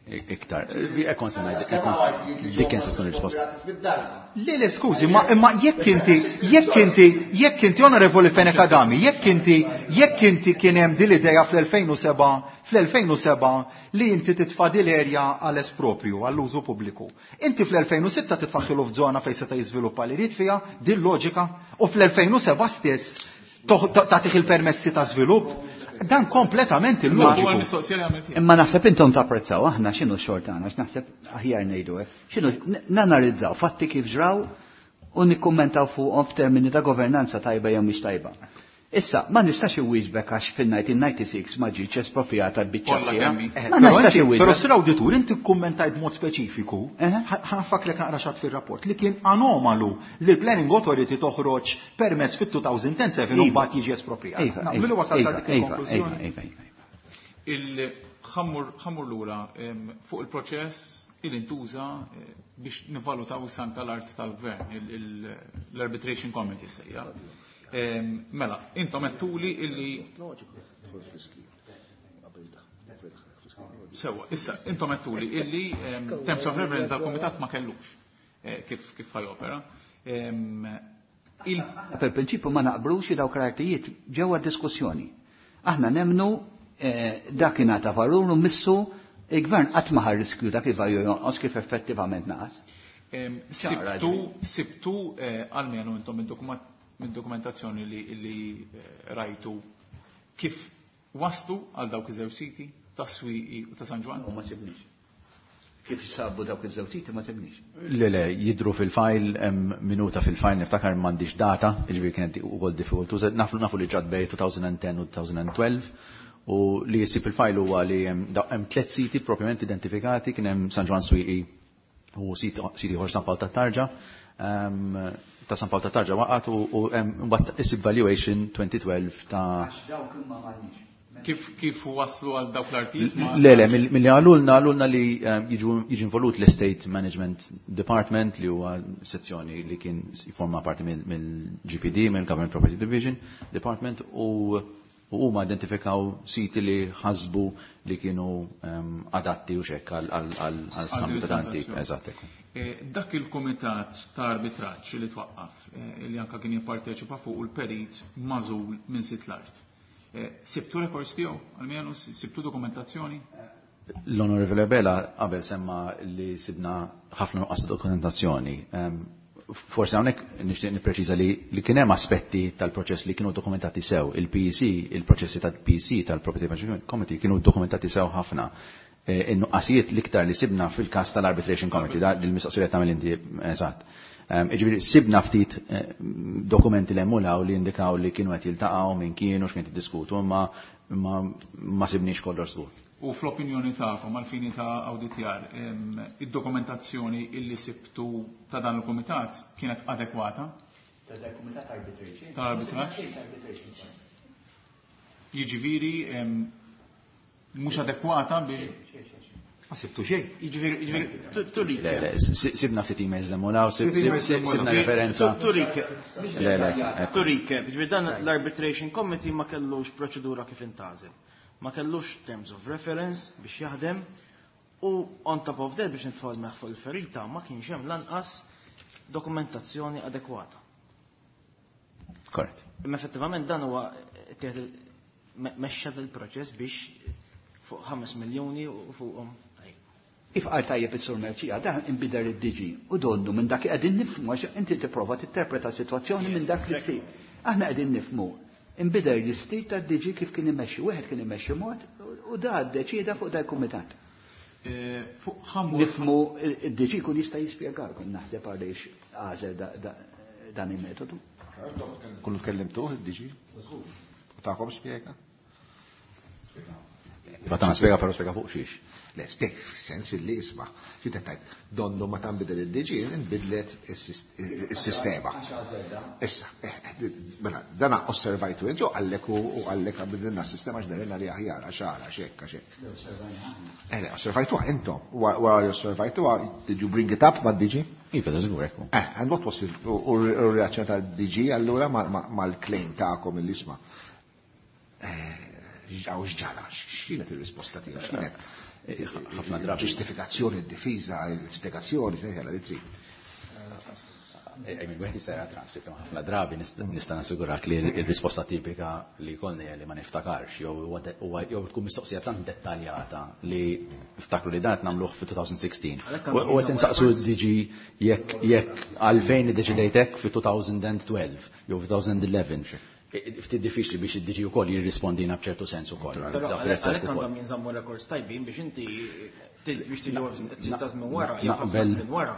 Iktar, ekkon se ngħid, dik kien se tkun risposta. Le, skużi, imma jekk inti Onorevoli Fenech Adami, jekk inti kien hemm din l-idea fl-2007 li inti titfa' din l-erja għal espropriju, għall-użu pubbliku. Inti fl-2006 titfaħħilu f'żona fejn seta' jiżviluppa li jrid fiha, din loġika, u fl-2007 stess tagħtih il-permessi ta' żvilupp. Dan kompletament illoġiku. Imma naħseb intom tapprezzaw aħna x'inhu x-xogħol tagħna, x'naħseb aħjar ngħidu hekk. X'inhu nanalizzaw fatti kif ġraw u nikkummentaw fuqhom f'termini ta' governanza tajba jew mhix tajba. Issa, ma nistax iwieġbek għax fil-1996 ma ġietx esproprijata l-biċċa sieħa. Ma nistax iwieġbek. Però sir awditur, inti kkummentajt b'mod speċifiku, ħanfaklek naqra xatt fir-rapport, li kien anomalu li l-Planning Authority toħroġ permess fit-2007 u mbagħad jiġi esproprijat. Naqblu li wasalt għal dik il-konklużjoni. Il-ħammur lura fuq il-proċess il intuża biex nivvalutaw is-sanka l-art tal-gvern, l-Arbitration Committee sejja. Mela, intom għedtuli illi Sewa, issa, intom għedtuli illi terms of reference dal-komitat ma kellux kif ħajopera. Per prinċipju ma naqbrux dawk l-artijiet ġewwa diskussjoni. Aħna nemnu Dak ingħata valur u missu il-gvern qatt ma ħa riskju dak il-valur jonqos kif effettivament naqas. Sibtu almenu intom mid-dokumentazzjoni li rajtu kif waslu għal dawk iż-żewġ siti ta' Swieqi u ta' San Ġwann? U ma sibniex. Kif sabu dawk iż-żewġ siti ma sibniex. Le, jidru fil-file, hemm minuta fil-file, niftakar m'għandix data, jiġifieri kienet ukoll diffikultuża. Nafu li ġrat bejn 2010 u 2012 u li jsib fil-file huwa li hemm tliet siti propjament identifikati, kien hemm San Ġwann Swieqi u sit ieħor San Pawl tat-Tarġa. Ta' San Pawl tat-Tarġa waqgħet u mbagħad isib valuation 2012 ta' Għax dawk imma m'għandniex. Kif waslu għal dawk l-artijiet? Le, milli għalulna li jiġi involut l-Estate Management Department li huwa sezzjoni li kien jiforma parti mill-GPD, mill-Government Property Division Department, u huma identifikaw siti li ħasbu li kienu adatti u xekk għal skambju ta' dan tip. Eżatt. Dak il-kumitat ta' arbitraġġ li twaqqaf, li anka kien jipparteċipa fuq il-perit magħżul minn sit l-art. Sibtu records tiegħu, almenu sibtu dokumentazzjoni? L-Onorevole Abela qabel semma li sibna ħafna nuqqas ta' dokumentazzjoni. Forse hawnhekk nixtieq nippreċiża li kien hemm aspetti tal-proċess li kienu dokumentati sew. Il-PEC, il-proċessi tal-PEC tal-Property Management Committee kienu dokumentati sew ħafna. In-nuqqasijiet l-iktar li sibna fil-każ tal-Arbitration Committee, da il-mistoqsija tagħmel inti eżatt. Jiġifieri sibna ftit dokumenti li hemm li indikaw li kienu qed jiltaqgħu minn kienu x'kien jiddiskutu, imma ma sibniex kollox żgur. U fl-opinjoni tagħkom għal-fini ta' awditjar, id-dokumentazzjoni illi sibtu ta' dan il-kumitat kienet adekwata? Ta' dan il-kumitat arbitration. Ta' arbitraġġ? Jiġifieri mhux adekwata biex Ma sibtu xejn. Jiġifieri turik. Le, sibna ftit emails li mulaw, sibna referenza. Turik. Le. Turik, jiġifieri dan l-Arbitration Committee ma kellux proċedura kif intgħażel. Ma kellux terms of reference biex jaħdem u on top of that biex nitfgħu meħ fuq il-ferita ma kienx hemm lanqas dokumentazzjoni adekwata. Korrett. Imma effettivament dan huwa mexxa il-proċess biex fuq 5 miljoni u fuqhom. Kif qal tajjeb is-Sur Mercieca, dan inbidel id-DG u donnu minn dak li qegħdin nifhmu għax inti tipprova tinterpreta sitwazzjoni minn dak li ssir. Aħna qegħdin nifhmu inbidel l-istil tad-DG kif kien imexxi, wieħed kien imexxi mod u da ddeċieda fuq dal-kumitat. Fuq ħamur. Nifhmu id-DG jkun jista' jispjegalkom naħseb għaliex għażel dan il-metodu. Kullu tkellimtuh id-DG? U tagħkom spjega? Iva tagħna spjega però spjega fuq xiex. Le, spjega fis-sens li isma'. Xi tajt, donnu ma tanbidel id-DG, inbidlet is-sistema. Issa, mela, dana osservajtu inti u għallek u għallek bidilna s-sistema x'derina li aħjar, għax għara, għax hekk, għax hekk. Le, osservajtuha intom. Wara li osservajtuha, did you bring it up mad-DG? Iva, da żgur hekk. And what was u r-reazzjoni tal-DG allura mal-claim tagħkom il-isma'? Għaw x'ġara, x'kienet ir-risposta tiegħek, x'kienet? Ħafna drabi. Ġustifikazzjoni, d-difiża, l-spjegazzjoni, se jgħala li trid. Wieħed jista' jara transcript, imma ħafna drabi nista' nassigurak li r-risposta tipika li jkollni hija li ma niftakarx, jew tkun mistoqsija tant dettaljata li ftakru li dan qed nagħmluh fi 2016. U qed insaqsu d-DG jekk għalfejn iddeċidejt hekk fi 2012 jew fi 2011. Ftit diffiċli biex id-DG wkoll jirrispondina b'ċertu sens ukoll. Però Dak prezz għalhekk ukoll. għandhom jinżammu records tajbin biex inti biex tiġi tista' żmien wara, jew ħafna żmien wara.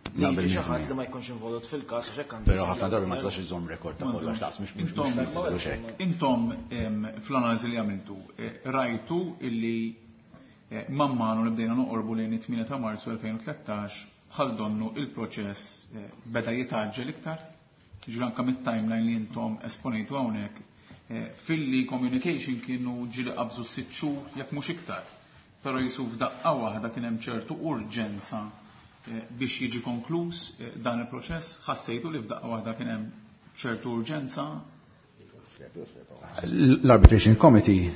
Li Naqbel jiġi xi minn ħadd fija. li ma jkunx involut fil-każ għax hekk għandu Però jsir ħafna drabi ma jagħmel. tistax iżomm rekord ta' kollox daqs mhux mhux hekk. Intom fl-analiżi li għamiltu rajtu illi man manu li bdejna noqorbu lejn it-8 ta' Marzu 2013 bħal donnu il-proċess beda jitgħaġġel iktar. Ġifieri anke mit-timeline li intom esponejtu hawnhekk filli communication kienu ġieli qabżu 6 xhur jekk mhux iktar. Però jisu f'daqqa waħda kien hemm ċertu urġenza biex jiġi konkluż dan il-proċess, ħassejtu li f'daqqa waħda kien hemm ċertu urġenza? L-Arbitration Committee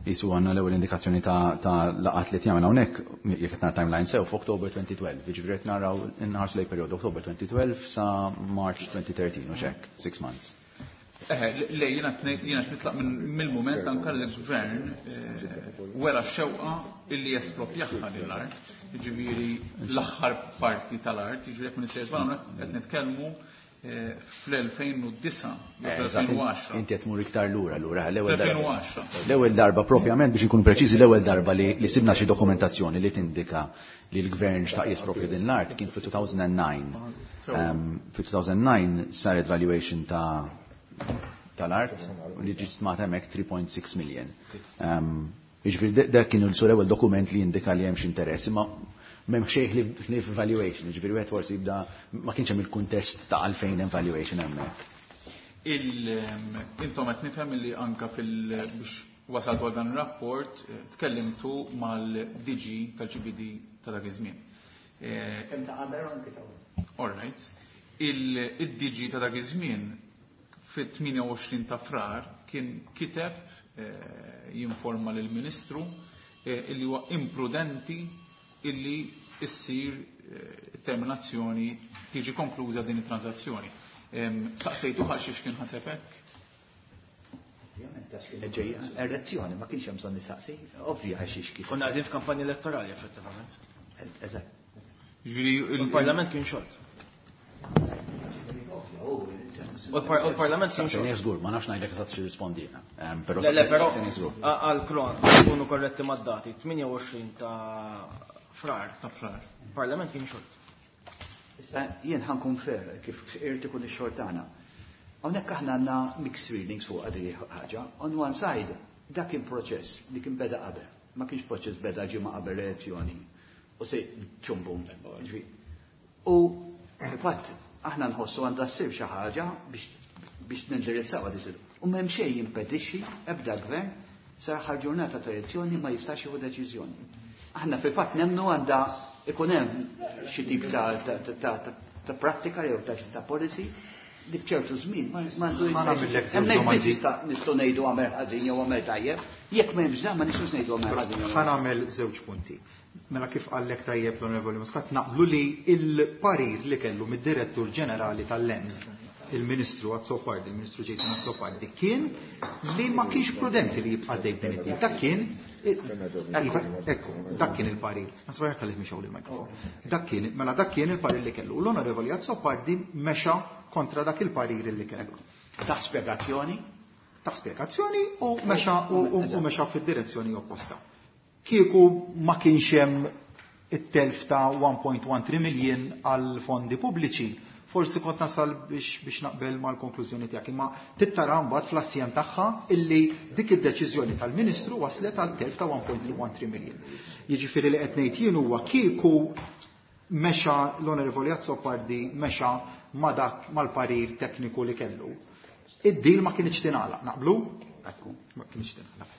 jisu għandna l-ewwel indikazzjoni ta' laqat li tjagħmel hawnhekk, jekk qed nara timeline sew f'October 2012, jiġifieri qed naraw inħarsu lejn perjodu October 2012 sa March 2013 u x'hekk, 6 months. Eħe, le, jiena nitlaq mill-mument anka li l-gvern wera x-xewqa illi jesproprjaha din l-art, jiġifieri l-aħħar parti tal-art, jiġifieri jekk m'iniex sejjer żball hawnhekk qed nitkellmu fl-2009 jew fl-2010. Inti qed tmur iktar lura lura l-ewwel darba. 2010. L-ewwel darba propjament biex inkunu preċiżi l-ewwel darba li sibna xi dokumentazzjoni li tindika li l-gvern xtaq jesproprja din l-art kien fi-2009. Fi-2009 saret valuation ta' tal-art u li ġiet stmata hemmhekk 3.6 million. Jiġifieri dak kien l-ewwel dokument li jindika li hemm xi interess, imma m'hemm xejn ħlief valuation, jiġifieri wieħed forsi jibda ma kienx hemm il-kuntest ta' għalfejn hemm valuation hemmhekk. Intom qed nifhem li anka fil biex wasaltu għal dan ir-rapport tkellimtu mal-DG tal-GBD ta' dak iż-żmien. Kemm ta' qabel u anke ta' wara. All right. Il-DG ta' dak iż-żmien fit-28 ta' Frar kien kiteb jinforma lill-Ministru illi huwa imprudenti illi issir terminazzjoni tiġi konkluża din it-transazzjoni. Saqsejtu għal xiex kien ħaseb hekk? Ovvjament għax kienet ġejja elezzjoni, ma kienx hemm bżonn nistaqsi, ovvja għax xiex kien. Konna qegħdin f'kampanja elettorali effettivament. Eżatt. Ġifieri il-Parlament kien xort. U l-Parlament kien xort. Żgur, ma nafx ngħidlek eżatt xi rispondina. Però Le, però għal kron, kunu korretti mad-dati, 28 ta' Frar. Ta' Frar. Il-Parlament kien xort. Issa jien ħankun fair kif irid ikun ix-xogħol tagħna. Hawnhekk aħna għandna mixed feelings fuq għadi ħaġa. On one side, dak kien proċess li kien beda qabel. Ma kienx proċess beda ġimgħa qabel elezzjoni. U se ċumbu. U fatt aħna nħossu għandha ssir xi ħaġa biex nindirizzaw għad U m'hemm xejn jimpedixxi ebda gvern sa aħħar ġurnata ta' elezzjoni ma jistax jieħu deċiżjoni. Aħna fil-fatt nemnu għandha ikun hemm xi tip ta' prattika jew ta' policy li f'ċertu żmien ma għandu Ma nagħmillek żewġ Hemmhekk domandi. biss nistgħu ngħidu għamel ħażin jew għamel tajjeb, jekk m'hemmx dan ma nistgħux ngħidu għamel ħażin jew Ħa nagħmel żewġ punti. Mela kif qallek tajjeb l-Onorevoli Muscat, naqblu li il-parir li kellu mid-Direttur Ġenerali tal-Lands, il-Ministru Azzopardi, il-Ministru Jason Azzopardi, kien li ma kienx prudenti li jibqa' dejjem din it-tip. Dak kien, iva, ekku, dak kien il-parir. Ma sbaħ kalli mixgħu il-mikrofon. Dak kien, mela dak kien il-parir li kellu. L-Onorevoli Azzopardi mexa kontra dak il-parir li kellu. Taħ spjegazzjoni? Taħ spjegazzjoni u mexa u mexa fid-direzzjoni opposta. Kieku ma kienx hemm it-telf ta' 1.13 million għal fondi pubbliċi, forsi kont nasal biex naqbel mal-konklużjoni tiegħek, imma tittara mbagħad fl-assjem tagħha illi dik id-deċiżjoni tal-Ministru waslet għal telf ta' 1.13 million. Jiġifieri li qed ngħid jien huwa kieku mexa l-Onorevoli Azzopardi mexa ma dak mal-parir tekniku li kellu. Id-deal ma kienx tingħalaq, naqblu? Ma kienx tingħalaq.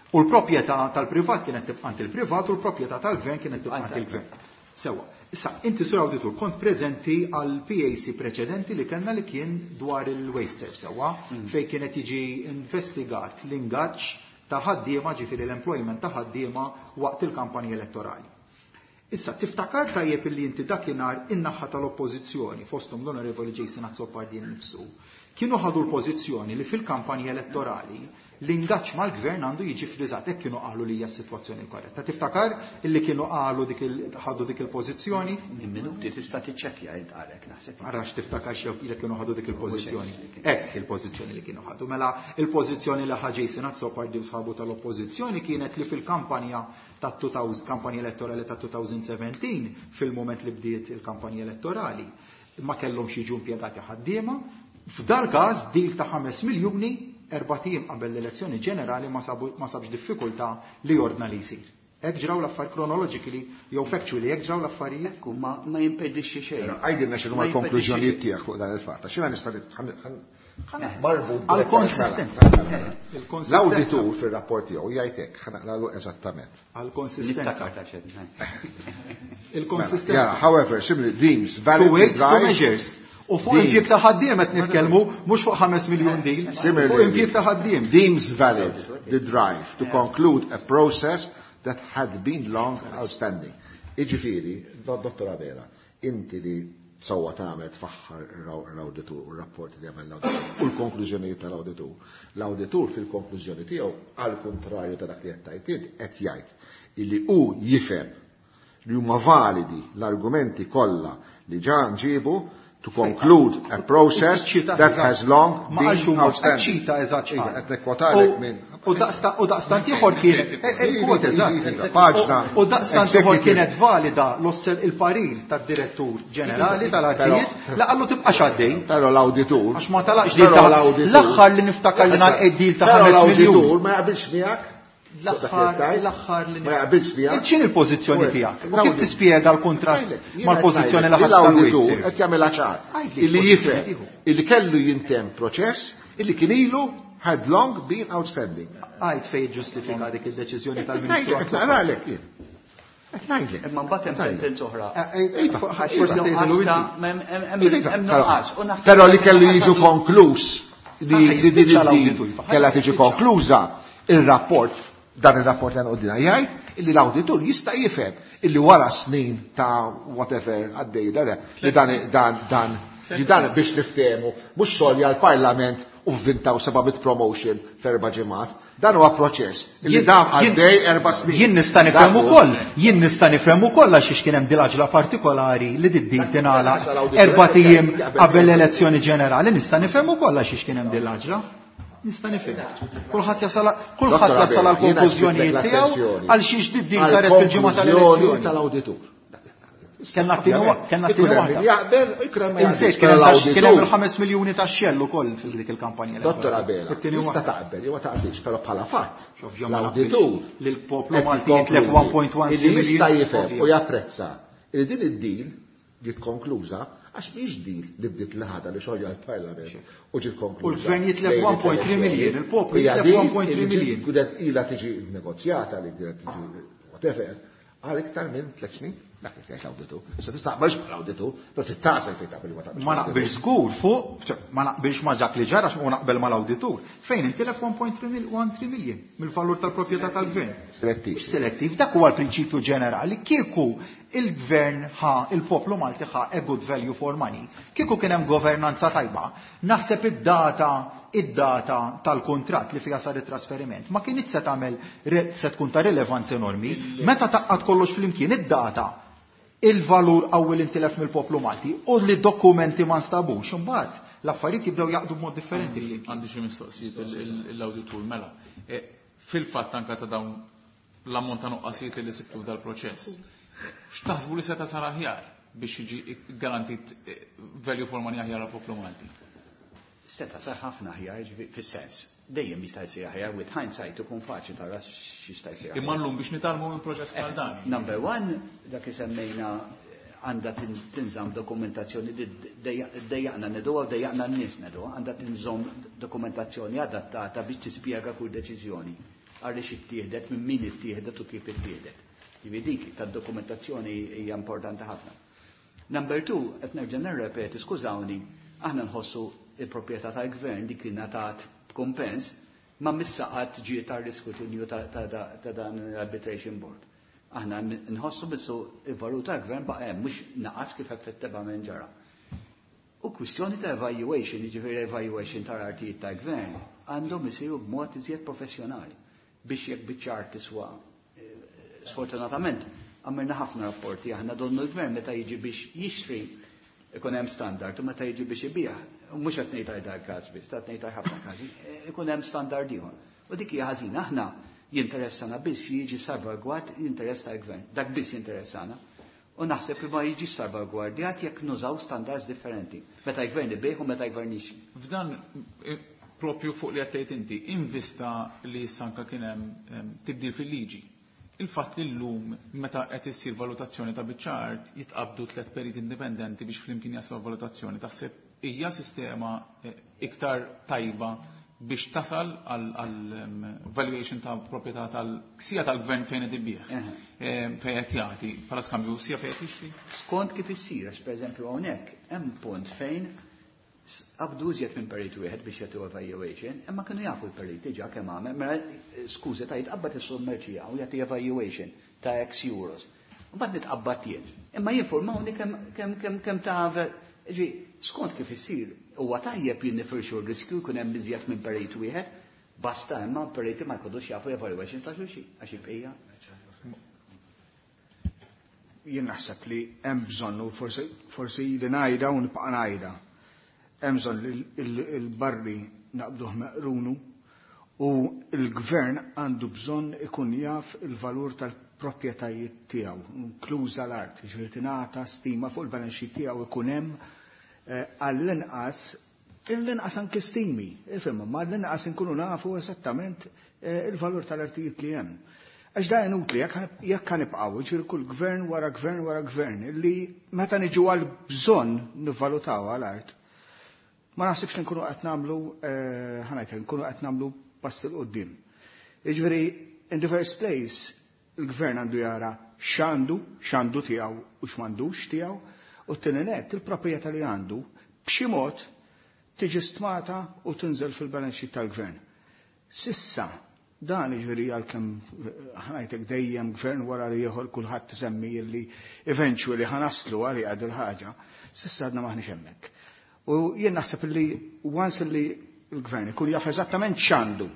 U l-proprjetà tal-privat kienet tibqa' għand il-privat u l-proprjetà tal-gvern kienet tibqa' għand il-gvern. Sewa. Issa, inti sur awditur kont preżenti għal PAC preċedenti li kellna li kien dwar il-waster, sewa, fejn kienet jiġi investigat l-ingaġġ ta' ħaddiema, ġifieri l-employment ta' ħaddiema waqt il-kampanja elettorali. Issa, tiftakar tajjeb illi inti dakinhar in-naħa tal-oppożizzjoni, fosthom l-Onorevoli Jason Azzopardi nnifsu, kienu ħadu l-pożizzjoni li fil-kampanja elettorali l-ingaġġ mal-gvern għandu jiġi friżat, hekk kienu qalu li hija s-sitwazzjoni korretta. Tiftakar illi kienu qalu dik ħadu dik il-pożizzjoni? Minuti tista' tiċċekkja int għalhekk naħseb. Arax tiftakar xew li kienu ħadu dik il-pożizzjoni. Hekk il-pożizzjoni li kienu ħadu. Mela il-pożizzjoni li ħa Jason Azzopardi u sħabu tal-oppożizzjoni kienet li fil-kampanja ta' kampanja elettorali ta' 2017, fil-moment li bdiet il-kampanja elettorali, ma kellhomx jiġu impjegati ħaddiema. F'dal każ deal ta' 5 miljuni erbat ijiem qabel l-elezzjoni ġenerali ma sabx diffikultà li ordna li jsir. Hekk ġraw l-affarijiet chronologically jew factually, hekk ġraw l-affarijiet. Ekku, ma jimpedixxi xejn. Però għidilna x'inhuma Ma jimpedixxi l-konklużjonijiet xejn. tiegħek fuq dan il-fatt. Għax jiena nista' marbut Għal bil-konsistenza. konsistenza. Il-konsistenza. L-awditur fir-rapport tiegħu jgħid hekk, ħa naqralu eżattament. Għal konsistenza. Niftakar ta' xejn. Il-konsistenza. Yeah, however, similarly, deems valid To weights, to drive measures. U fuq Deems. impjieg ta' ħaddiem qed nitkellmu mhux fuq 5 miljun deal, fuq Similarly, impjieg ta' ħaddiem. Deems valid the drive to conclude a process that had been long outstanding. Iġifieri, Dottor Abela, inti li sewwa tagħmel tfaħħar l-awditur u r-rapport li għamel l-awditur u l-konklużjonijiet tal-awditur. L-awditur fil-konklużjoni tiegħu għal kontrarju ta' dak li qed tgħid int qed jgħid illi hu jifhem li huma validi l-argumenti kollha li ġa nġibu to conclude a process that has long been outstanding. ċita eżatt. Iva, qed nikkwotalek minn. U daqstant ieħor kien eh, eh, paġna. U daqstant ieħor kienet valida il-parir tad-direttur ġenerali tal-artijiet la qallu tibqa' għaddej. Però l-awditur. Għax ma talaqx dil ta' l-aħħar li niftakar li nagħlaq dil ta' 5 miljun. L-awditur ma jaqbilx miegħek L-aħħar, l-aħħar li Ma jaqbilx miegħek. X'in il-pożizzjoni tiegħek? U kif tispjega l-kontrast mal-pożizzjoni li ħadd l-awditur qed jagħmilha ċar. Illi jifhem illi kellu jintemm proċess illi kien ilu had long been outstanding. Għid fejn ġustifika dik id-deċiżjoni tal-Ministru. Qed naqralek jien. Qed ngħidlek. Imma mbagħad hemm sentenza oħra. Eh, iva, Forsi hemm nuqqas. Però li kellu jiġu konkluż li din kellha tiġi konkluża ir-rapport dan ir-rapport li għandna jgħid illi l-awditur jista' jifhem illi wara snin ta' whatever għaddej dan li dan dan dan li dan biex niftehmu mhux xogħol għall-Parlament u vvintaw 700 promotion f'erba' ġimgħat. Dan huwa proċess illi dam għaddej 4 snin. Jien nista' nifhem ukoll, jien nista' nifhem ukoll għax kien hemm dil-għaġla partikolari li did-din tingħalaq erba' ijiem qabel l-elezzjoni ġenerali, nista' nifhem ukoll għax kien hemm dil-għaġla. Nista' nifhem. Kulħadd jasal kulħadd jasal għal konklużjonijiet tiegħu għal xiex did-din saret fil-ġimgħa tal-elezzjoni. Tal-awditur. Kellna kellna t-tieni waħda. Jaqbel, ikun hemm Insejt kien hemm il-5 miljuni ta' xell ukoll fil dik il-kampanja. Dottor Abela, tista' taqbel jew ma taqbilx, però bħala fatt. L-awditur li l-poplu Malti jitlef 1.1 Illi jista' jifhem u japprezza li din id-deal ġiet konkluża għax mhix deal li bdiet l-ħada li xogħol l-Parlament u ġiet konkluża. U l-gvern jitlef 1.3 miljun, il-poplu jitlef 1.3 miljun. Kienet ilha tiġi negozjata li kienet tiġi whatever għal iktar minn 3 snin. Dak li tgħid l-awditur. Issa tista' taqbilx mal-awditur, però tittasel fejn taqbel ma taqbilx. Ma naqbilx żgur fuq, ma naqbilx ma dak li ġara u naqbel mal-awditur. Fejn intilef 1.3 miljun mill-valur tal-proprjetà tal-gvern. Selettiv. Selettiv, dak huwa l-prinċipju ġenerali. Kieku il-gvern ħa, il-poplu Malti ħa a good value for money. Kieku kien hemm governanza tajba, naħseb id-data id-data tal-kontrat li fiha sar it-trasferiment ma kienx se tagħmel se tkun ta' rilevanza enormi. Meta taqqad kollox flimkien id-data il-valur qawwi li intilef mill-poplu Malti u li dokumenti ma nstabux imbagħad l-affarijiet jibdew jaqdu b'mod differenti. Għandi xi mistoqsijiet l-awditur mela. Fil-fatt anka ta' dawn l-ammont ta' nuqqasijiet li sibtu dal-proċess. X'taħsbu li seta' sar aħjar biex jiġi garantit value for money aħjar għall-poplu Malti? Seta' sar ħafna aħjar fis-sens. Dejjem jista' jsir aħjar with hindsight ikun faċli tara x'jista' jsir. Imma llum biex nitgħallmu minn proċess bħal dan. Number one, dak li semmejna għandha tinżamm dokumentazzjoni dejjaqna neduha u dejjaqna n-nies neduha, għandha tinżamm dokumentazzjoni adattata biex tispjega kull deċiżjoni għaliex ittieħdet, minn min ittieħdet u kif ittieħdet. Ġifieri dik tad-dokumentazzjoni hija importanti ħafna. Number two, qed nerġa' nirrepeti, skużawni, aħna nħossu il-proprjetà tal-gvern dik li ngħatat b'kumpens ma missaqat ġiet tar-riskrutinju ta' dan l-arbitration board. Aħna nħossu bissu il-valur tal-gvern baqa' hemm mhux naqas kif effettivament ġara. U kwistjoni ta' evaluation, jiġifieri evaluation tal-artijiet tal-gvern, għandhom isiru b'mod iżjed professjonali biex jekk biċċa art tiswa. Sfortunatament, għamilna ħafna rapporti, aħna donnu l-gvern meta jiġi biex jixtri ikun hemm standard u meta jiġi biex ibih, u mhux qed ngħid għal każ biss, qed ngħid ħafna każi, ikun hemm standard ieħor. U dik hija ħażina, aħna jinteressana biss jiġi salvagward l-interess tal-gvern, dak biss jinteressana. U naħseb li ma jiġi salvagwardjat jekk nużaw standards differenti. Meta l-gvern ibih u meta l-gvern jixtri. F'dan propju fuq li għattejt inti, in vista li sanka kien hemm tibdil fil-liġi. Il-fatt li llum meta qed issir valutazzjoni ta' biċċa art jitqabdu 3 periti indipendenti biex flimkien jaslu valutazzjoni, taħseb hija sistema iktar tajba biex tasal għal valuation ta' proprjetà tal-ksija tal-gvern fejn qed ibih, fejn qed jagħti bħala skambju sija fejn qed jixtri? Skont kif issir, għax pereżempju hawnhekk hemm punt fejn qabdu iżjed minn perit wieħed biex jagħtu evaluation, imma kienu jafu l-perit diġà kemm għamel, mela skużi ta' jitqabbad is-sommerċija u jagħti evaluation ta' X euros. Mbagħad nitqabbad jien. Imma jinformawni kemm ta' ġi, skont kif issir, huwa tajjeb jien nifirxu r-riskju jkun hemm iżjed minn perit wieħed, basta imma periti ma jkunux jafu evaluation ta' xulxin għax il-bqija. Jien naħseb li hemm bżonn u forsi ili ngħidha u nibqa' ngħidha. Hemm bżonn li l-barri naqbduh meqrunu u l-gvern għandu bżonn ikun jaf il-valur tal-proprjetajiet tiegħu, inkluża l-art, jiġifieri tingħata stima fuq il-balance sheet tiegħu ikun hemm għall-inqas l-inqas anke stimi, ifhem, ma l-inqas inkunu nafu esattament il-valur tal-artijiet li hemm. Għax da inutli, jekk ħanibqgħu, jiġifieri kull gvern wara gvern wara gvern, li meta niġu għal bżonn nivvalutaw għal-art, ma naħsibx li nkunu qed nagħmlu, ħanajt, nkunu qed nagħmlu pass 'il quddiem. Jiġifieri, in the first place, il-gvern għandu jara x'għandu, x'għandu tiegħu u x'm'għandux tiegħu, u t-tieni nett, il-proprjetà li għandu b'xi mod tiġi stmata u tinżel fil-balance sheet tal-gvern. Sissa, dan jiġifieri għalkemm ħanajtek dejjem gvern wara li ieħor kulħadd tisemmi li eventually ħanaslu għalija il ħaġa, sissa għadna maħniex hemmhekk. U jien naħseb li once li l-gvern ikun jaf eżattament x'għandu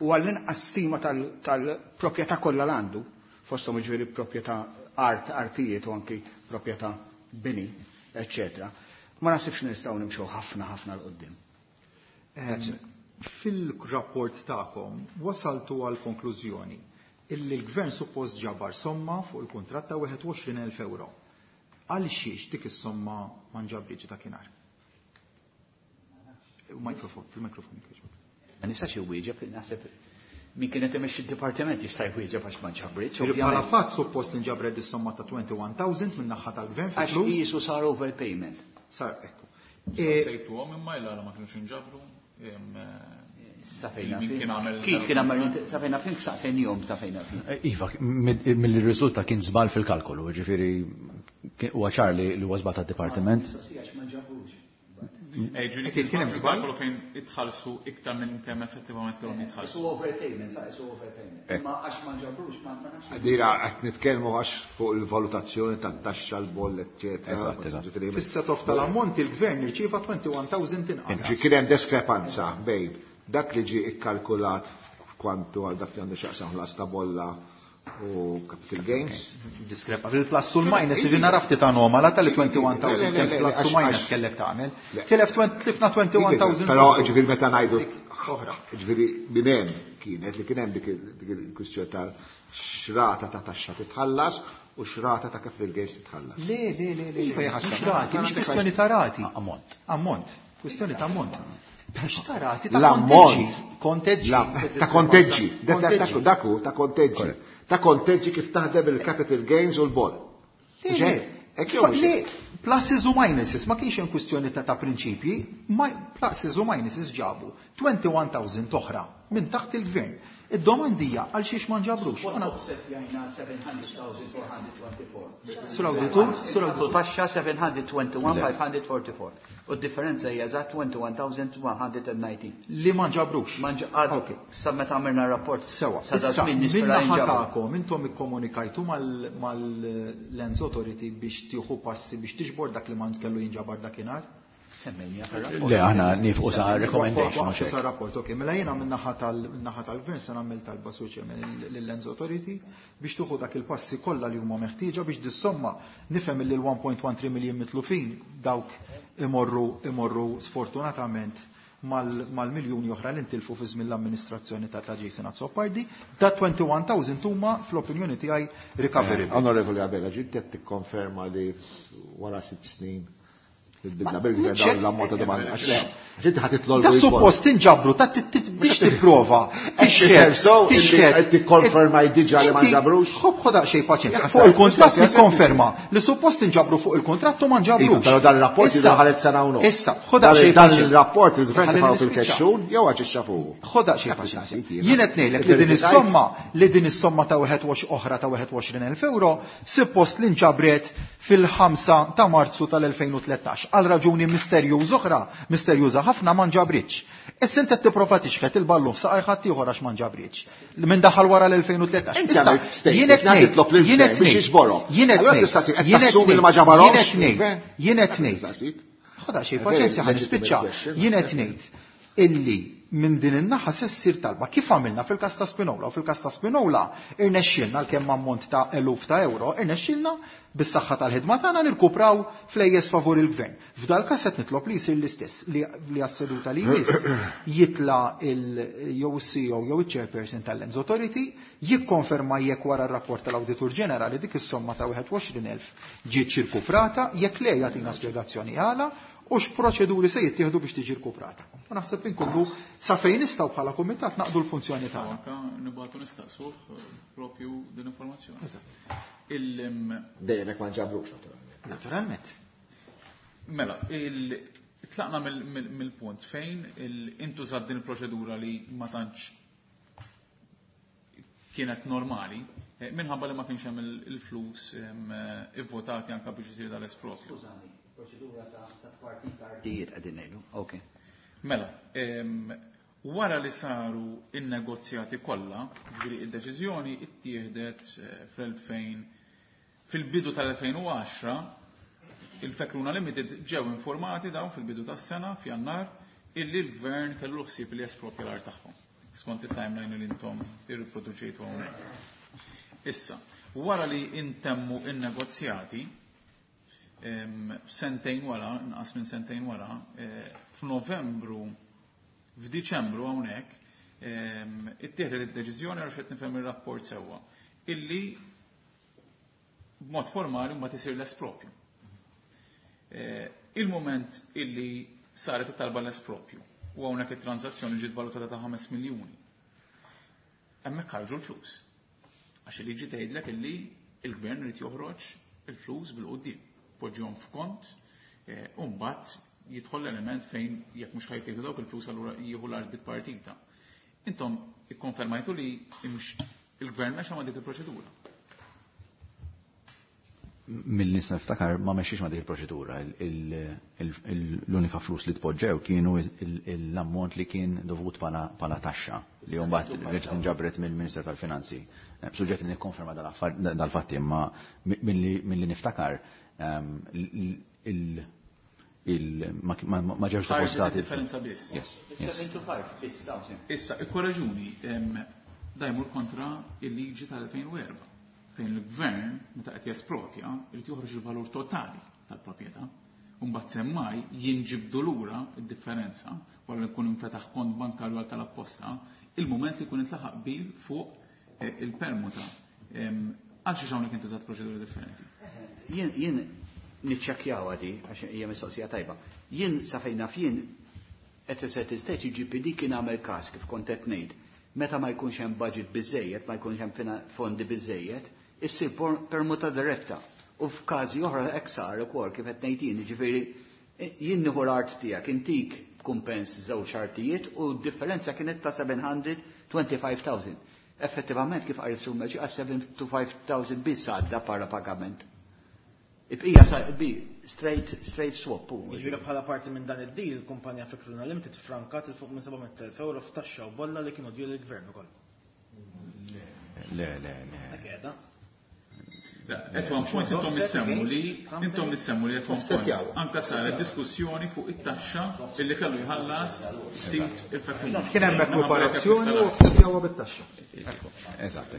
u għall-inqas stima tal-proprjetà kollha l-għandu, fosthom jiġifieri proprjetà art, artijiet u anki proprjetà bini, eccetera. Ma naħsibx nistgħu nimxu ħafna ħafna 'l quddiem. Fil-rapport tagħkom wasaltu għal konklużjoni illi l-gvern suppost ġabar somma fuq il-kuntratt ta' 21,000 euro. Għal xiex dik is-somma ma nġabritx dakinhar? Mikrofon, fil-mikrofon. Ma nistax iwieġeb, naħseb min kienet imexxi d-dipartiment jista' jwieġeb għax ma nġabritx. Bħala fatt suppost li nġabret is-somma ta' 21,000 minn naħa tal-gvern Għax fil-flus. qisu sar overpayment. Sar, ekku. Sejtu għom imma illa ma kienux inġabru. Safejna Min fin. kien għamel- Kif kien għamel, safejna fin, saqsejnihom safejna fin. Iva, mill-riżulta kien żball fil-kalkolu, ġifieri huwa ċar li huwa żball tad-dipartiment. Mistoqsija ma nġabrux. Ġifieri Kien hemm żball? Kalkolu fejn itħallsu iktar minn kemm effettivament kellhom jitħallsu. Isu overpayment, sa' isu overpayment. Ma għax ma nġabrux, ma nafx. Dira, qed nitkellmu għax fuq il-valutazzjoni tat-taxxa l-boll, eccetera. Eżatt, eżatt. Ġifieri, Fis-set-off tal-ammont il-gvern irċieva 21,000 inqas. Ġi kien hemm diskrepanza bejn dak li ġie ikkalkulat kwantu għal dak li għandu x'jaqsam ħlas ta' bolla u capital gains. Diskrepa fil-plus u l-minus, ġi nara ftit anomala tal 21,000 Le, le, le, kemm plus u għax- minus għax- kellek tagħmel. Le. Tilef tlifna 21,000. Però ġifieri meta ngħidu Oħra. ġifieri minn hemm kienet li kien hemm dik il-kwistjoni ta' xrata ta' taxxa titħallas u xrata ta' capital gains titħallas. Le, le, le, le. Iva, jaħasra. Mhux rati, mhux kwistjoni ta' rati. Ammont. Ammont. Kwistjoni ta' ammont. Biex ta' rati ta' L-ammont. konteġġi. Konteġġi. Ta' konteġġi. Konteġġi. Daku, ta' konteġġi. Ta' konteġġi kif taħdem il-capital gains u l-boll. Le, Ġej, le. hekk jew mhux Le, hekk? pluses u minuses, ma kienx hemm kwistjoni ta' prinċipji, ma pluses u minuses ġabu 21,000 oħra minn taħt il-gvern. Id-domandija għal xiex ma nġabrux. Offset jajna 700,424. Sur auditur, sur auditur. Taxxa 721,544. U d-differenza hija eżatt 21,119. Li ma nġabrux. Ma nġ- Ok. Sa meta għamilna rapport. Sewa. Sa da Issa, żmien minn nispera naħa jinġabru. tagħkom intom ikkomunikajtu mal-Lands Authority biex tieħu passi biex tiġbor dak li ma kellu jinġabar dakinhar? Semmejna fir-rapport. Le, aħna nifqu sa recommendation, mhux Waqfu sa hekk. rapport, ok. Mela jiena min-naħa tal-gvern se nagħmel talba Sur Chairman lill-Lands Authority biex tuħu dak il-passi kollha li huma meħtieġa biex dis-somma nifhem li l-1.13 miljon mitlufin dawk imorru sfortunatament mal-miljuni oħra li ntilfu fi żmien l-amministrazzjoni ta' Jason Azzopardi. Da 21,000 huma fl-opinjoni tiegħi recoverable. Onorevoli Abela, ġiet qed tikkonferma li wara 6 snin il-bidla bil-gvern Ċe- dawn l-ammont ta' domanda. Għax le, ġiet ħadd Da suppost tinġabru, ta' biex tipprova. Tixħet, so, illi qed tikkonferma diġà li ma nġabrux? Ħob ħoda xej paċenzja. Jaħseb, Fuq il-kontratt jaħseb. nikkonferma li suppost tinġabru fuq il-kontratt u ma nġabrux. Iva, Però dan il-rapport Issa- jidher ħaret sena u nofs. Issa, ħoda Dan xej dan paċenzja. il-rapport il-gvern Ħalli tefgħu nispiċċa. fil-kexxun jew aġixxa fuqu. Ħoda xej Dak paċenzja. li Jien qed ngħidlek li din is-somma li din is-somma ta' 21 oħra ta' 21,000 euro suppost li nġabret fil-5 ta' Marzu tal-2013. għal raġuni misterjuż oħra, misterjuża ħafna ma nġabritx. Issa inti qed tipprova tixħet il-ballun f'saqaj ħadd ieħor għax ma nġabritx. Minn daħal wara l-2013. Inti għamilt statement li titlob lill-gvern biex jiġborhom. Jien qed Allura ngħid, tista' qed jien qed tassumi li ma ngħid, ġabarhomx jien qed ngħid, il-gvern? jien qed ngħid. Ħoda xi paċenzja ħa nispiċċa. Jien qed ngħid illi minn din in-naħa se ssir talba kif għamilna fil-każ ta' Spinola u fil-każ ta' Spinola irnexxielna għalkemm ammont ta' eluf ta' euro, irnexxielna bis-saħħa tal-ħidma tagħna nirkupraw flejjes favur il-gvern. F'dal każ qed nitlob li jsir l-istess li għas-seduta li jmiss jitla jew is-CEO jew iċ-chairperson tal-Lands Authority jikkonferma jekk wara r-rapport tal-Awditur Ġenerali dik is-somma ta' 21,000 ġiet rkuprata, jekk le jagħtina spjegazzjoni għala u x'proċeduri se jittieħdu biex tiġi rkuprata. U naħseb inkunu sa fejn nistgħu bħala kumitat naqdu l-funzjoni tagħna. Anka nibgħatu nistaqsuh propju din informazzjoni. Dejjem hekk ma nġabrux naturalment. Naturalment. Mela, tlaqna mill-punt fejn intużat din il-proċedura li ma tantx kienet normali, minħabba li ma kienx hemm il-flus ivvotati anka biex isir dal-espropju. Skużani, proċedura ta' tpartit artijiet qegħdin ngħidu. Ok. Mela, wara li saru in-negozjati kollha, ġifieri id-deċiżjoni ittieħdet fl-2000 fil-bidu tal-2010, il-Fekruna Limited ġew informati dawn fil-bidu tas-sena f'Jannar illi l-gvern kellu ħsieb li jespropja l-art tagħhom. Skont it-timeline li intom irriproduċejtu hawnhekk. Issa, wara li intemmu in-negozjati, sentejn wara, inqas minn sentejn wara, f'Novembru, f'Diċembru hawnhekk, ittieħdet id-deċiżjoni għal xed nifhem ir-rapport sewwa, illi b'mod formali mbagħad isir l-espropju. Il-moment illi saret it-talba l-espropju u hawnhekk it-transazzjoni ġiet valutata ta' 5 miljuni. Hemmhekk ħarġu l-flus. Għax il-liġi tgħidlek illi il-gvern irid joħroġ il-flus bil-quddiem, poġġihom f'kont, u mbagħad jidħol l-element fejn jekk mhux ħajtieħdu dawk il-flus allura jieħu l-art bit-partita. Intom ikkonfermajtu li il-gvern mexa ma' dik il-proċedura. Mill-nies niftakar ma mexxiex ma' dik il-proċedura. L-unika flus li tpoġġew kienu l-ammont li kien dovut bħala taxxa li mbagħad reġgħet inġabret mill-Ministru tal-Finanzi. Suġġett li nikkonferma dal-fatti, imma milli niftakar ma ġewx Ħarġet depożitati. differenza biss. Yes, yes. 725 biss dawn. Issa, ikkoraġuni, da jmur kontra il-liġi tal-2004. Fejn il-gvern, meta qed jespropja, irid joħroġ il-valur totali tal-proprjetà. U mbagħad semmaj jinġibdu lura d-differenza wara li jkun infetaħ kont bankarju għal tal-apposta, il-mument li jkun intlaħaq qbil fuq il-permuta. Għal xi hawnhekk intużat proċeduri differenti. Jien niċċekkjaw għadi, għax hija mistoqsija tajba. Jien sa fejn naf jien at a certain stage il-GPD kien għamel każ kif kont qed ngħid. Meta ma jkunx hemm budget biżejjed, ma jkunx hemm fondi biżejjed, issir permuta diretta. U f'każi oħra hekk sar ukoll kif qed ngħid jien, jiġifieri jien nieħu l-art tiegħek, intik kumpens żewġ artijiet u d-differenza kienet ta' 725,000. Effettivament kif qal is-Sur Meċi, għal 725,000 biss għadda para pagament. Ibqija sa bi straight swap. Jiġifieri bħala parti minn dan id-deal, il-kumpanija Fekruna Limited frankat il fuq minn 700,000 euro f'taxxa u bolla li kienu due lill-gvern ukoll. Le, le, le. Hekk qiegħda. At one point intom issemmu li, intom issemmu li at one point anka saret diskussjoni fuq it-taxxa illi kellu jħallas sit il-Fekruna. Kien hemm ekwiparazzjoni u offsetjawha bit-taxxa. Eżatt.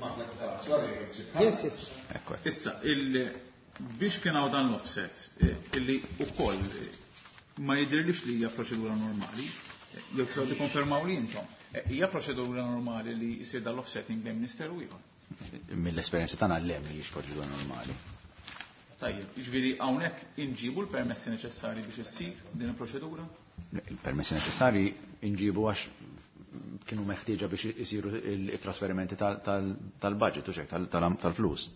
Yes, yes. Ekku. Issa, biex kien hawn dan l-offset, illi ukoll ma jidhirlix li hija proċedura normali, jew tistgħu tikkonfermaw li intom. Hija proċedura normali li jsir dan l-offsetting bejn ministeru ieħor. Mill-esperjenza tagħna le mhijiex proċedura normali. Tajjeb, jiġifieri hawnhekk inġibu l-permessi neċessarji biex issir din il-proċedura? Il-permessi neċessarji inġibu għax kienu meħtieġa biex isiru il-trasferimenti tal-budget u xek, tal-flus.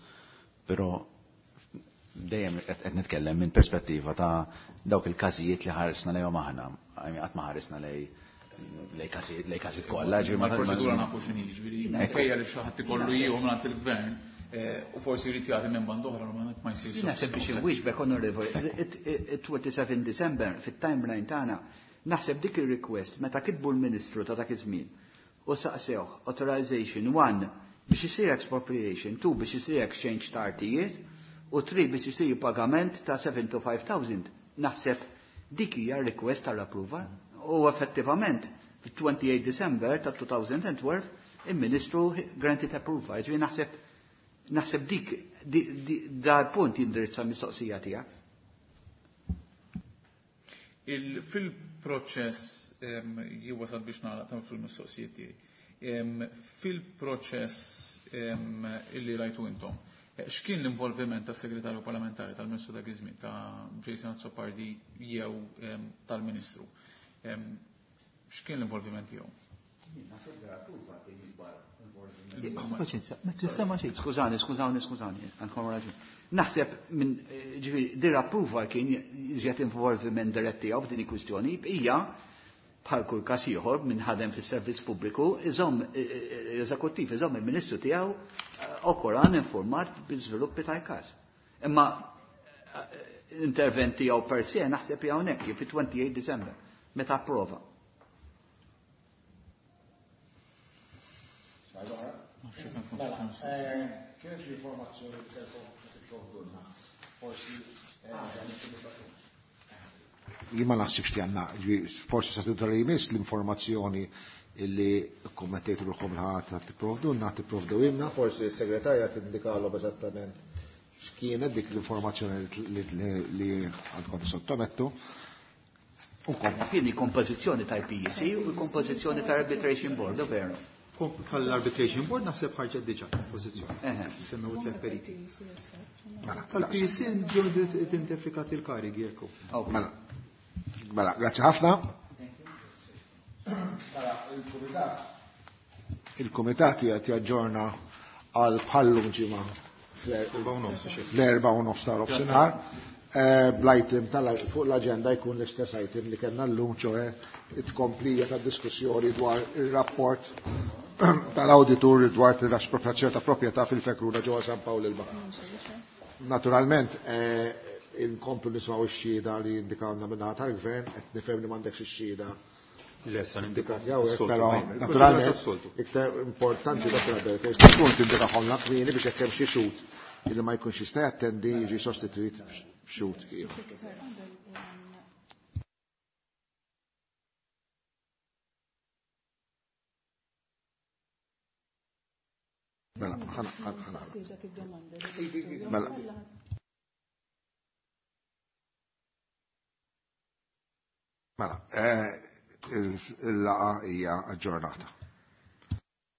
Però dejjem qed nitkellem minn perspettiva ta' dawk il-każijiet li ħarisna lejhom aħna, qatt ma ħarisna lej każijiet, lej każijiet kollha, ġifieri Ma l-proċedura nafu x'inhi, ġifieri minkejja li xi ħadd ikollu jieħu mingħand il-gvern, U forsi jrid jagħti minn band oħra normalment ma jsirx. Naħseb biex inwieġbek onorevoli, it-27 December fit-timeline tagħna naħseb dik ir-request meta kitbu l-Ministru ta' dak iż-żmien u saqsewh authorization 1 biex isir expropriation, 2 biex isir exchange ta' artijiet u 3 biex isir pagament ta' 75,000. Naħseb dik hija request tal-approval u effettivament fit-28 December ta' 2012 il-Ministru granted approval. Ġifieri naħseb dik dal punt jindirizza mistoqsija tiegħek. Fil-proċess jien biex nagħlaq ta' fil-mistoqsijiet tiegħi. Fil-proċess illi rajtu intom, x'kien l-involviment tas-segretarju parlamentari tal-Ministru dak iż-żmien ta' Jason Azzopardi jew tal-Ministru? X'kien l-involviment tiegħu? Paċenzja, ma tistema xejn. Skużani, skużani, skużani, għandkom raġun. Naħseb minn ġifieri dir approval kien iżjed involviment dirett tiegħu f'din il-kwistjoni hija bħal kull każ ieħor minn ħadem fis-servizz pubbliku, iżomm l-eżekuttiv iżomm il-Ministru tiegħu okoran informat bil-żviluppi tal-każ. Imma intervent tiegħu per se naħseb hawnhekk fit-28 December meta approva. Mela, kienet xi informazzjoni li kellkom tipprovdulna? Forsi jien ma naħsibx li għandna, forsi sa tidher li jmiss l-informazzjoni illi kommettejtu ruħkom l-ħadd tipprovdulna, tipprovdewilna, forsi s-segretarja tindikalhom eżattament x'kienet dik l-informazzjoni li għandkom sottomettu. Fini kompożizzjoni tal-PEC u kompożizzjoni tal-Arbitration Board, veru. Tal-Arbitration Board naħseb ħarġet diġà kompożizzjoni. Semmew tliet periti. Tal-PEC ġew identifikati l-karigi jekk. Mela, mela, grazzi ħafna. Mela, il-kumitat qed jaġġorna għal bħallum ġimgħa fl-4:30 ta' nofsinhar. Bl-item fuq l-agenda jkun l-istess item li kellna llum, ċoħe it-komplija ta' diskussjoni dwar il-rapport tal-auditur dwar l-espropriazzjoni ta' proprjetà fil-Fekruna ġewwa San Pawl il-Baħar. Naturalment, inkomplu nismgħu x-xhieda li indikawna min-naħa tal-gvern, qed nifhem li m'għandekx ix-xhieda. Le, sa Indikat hawnhekk, però naturalment iktar importanti dak li jista' tkun tindikahomlna kmieni biex hekk hemm xi xhud illi ma jkunx jista' jattendi jiġi sostituit b'xhud ieħor. Mela, ħana, ħana. Mela. Mela, il-laqa hija aġġornata.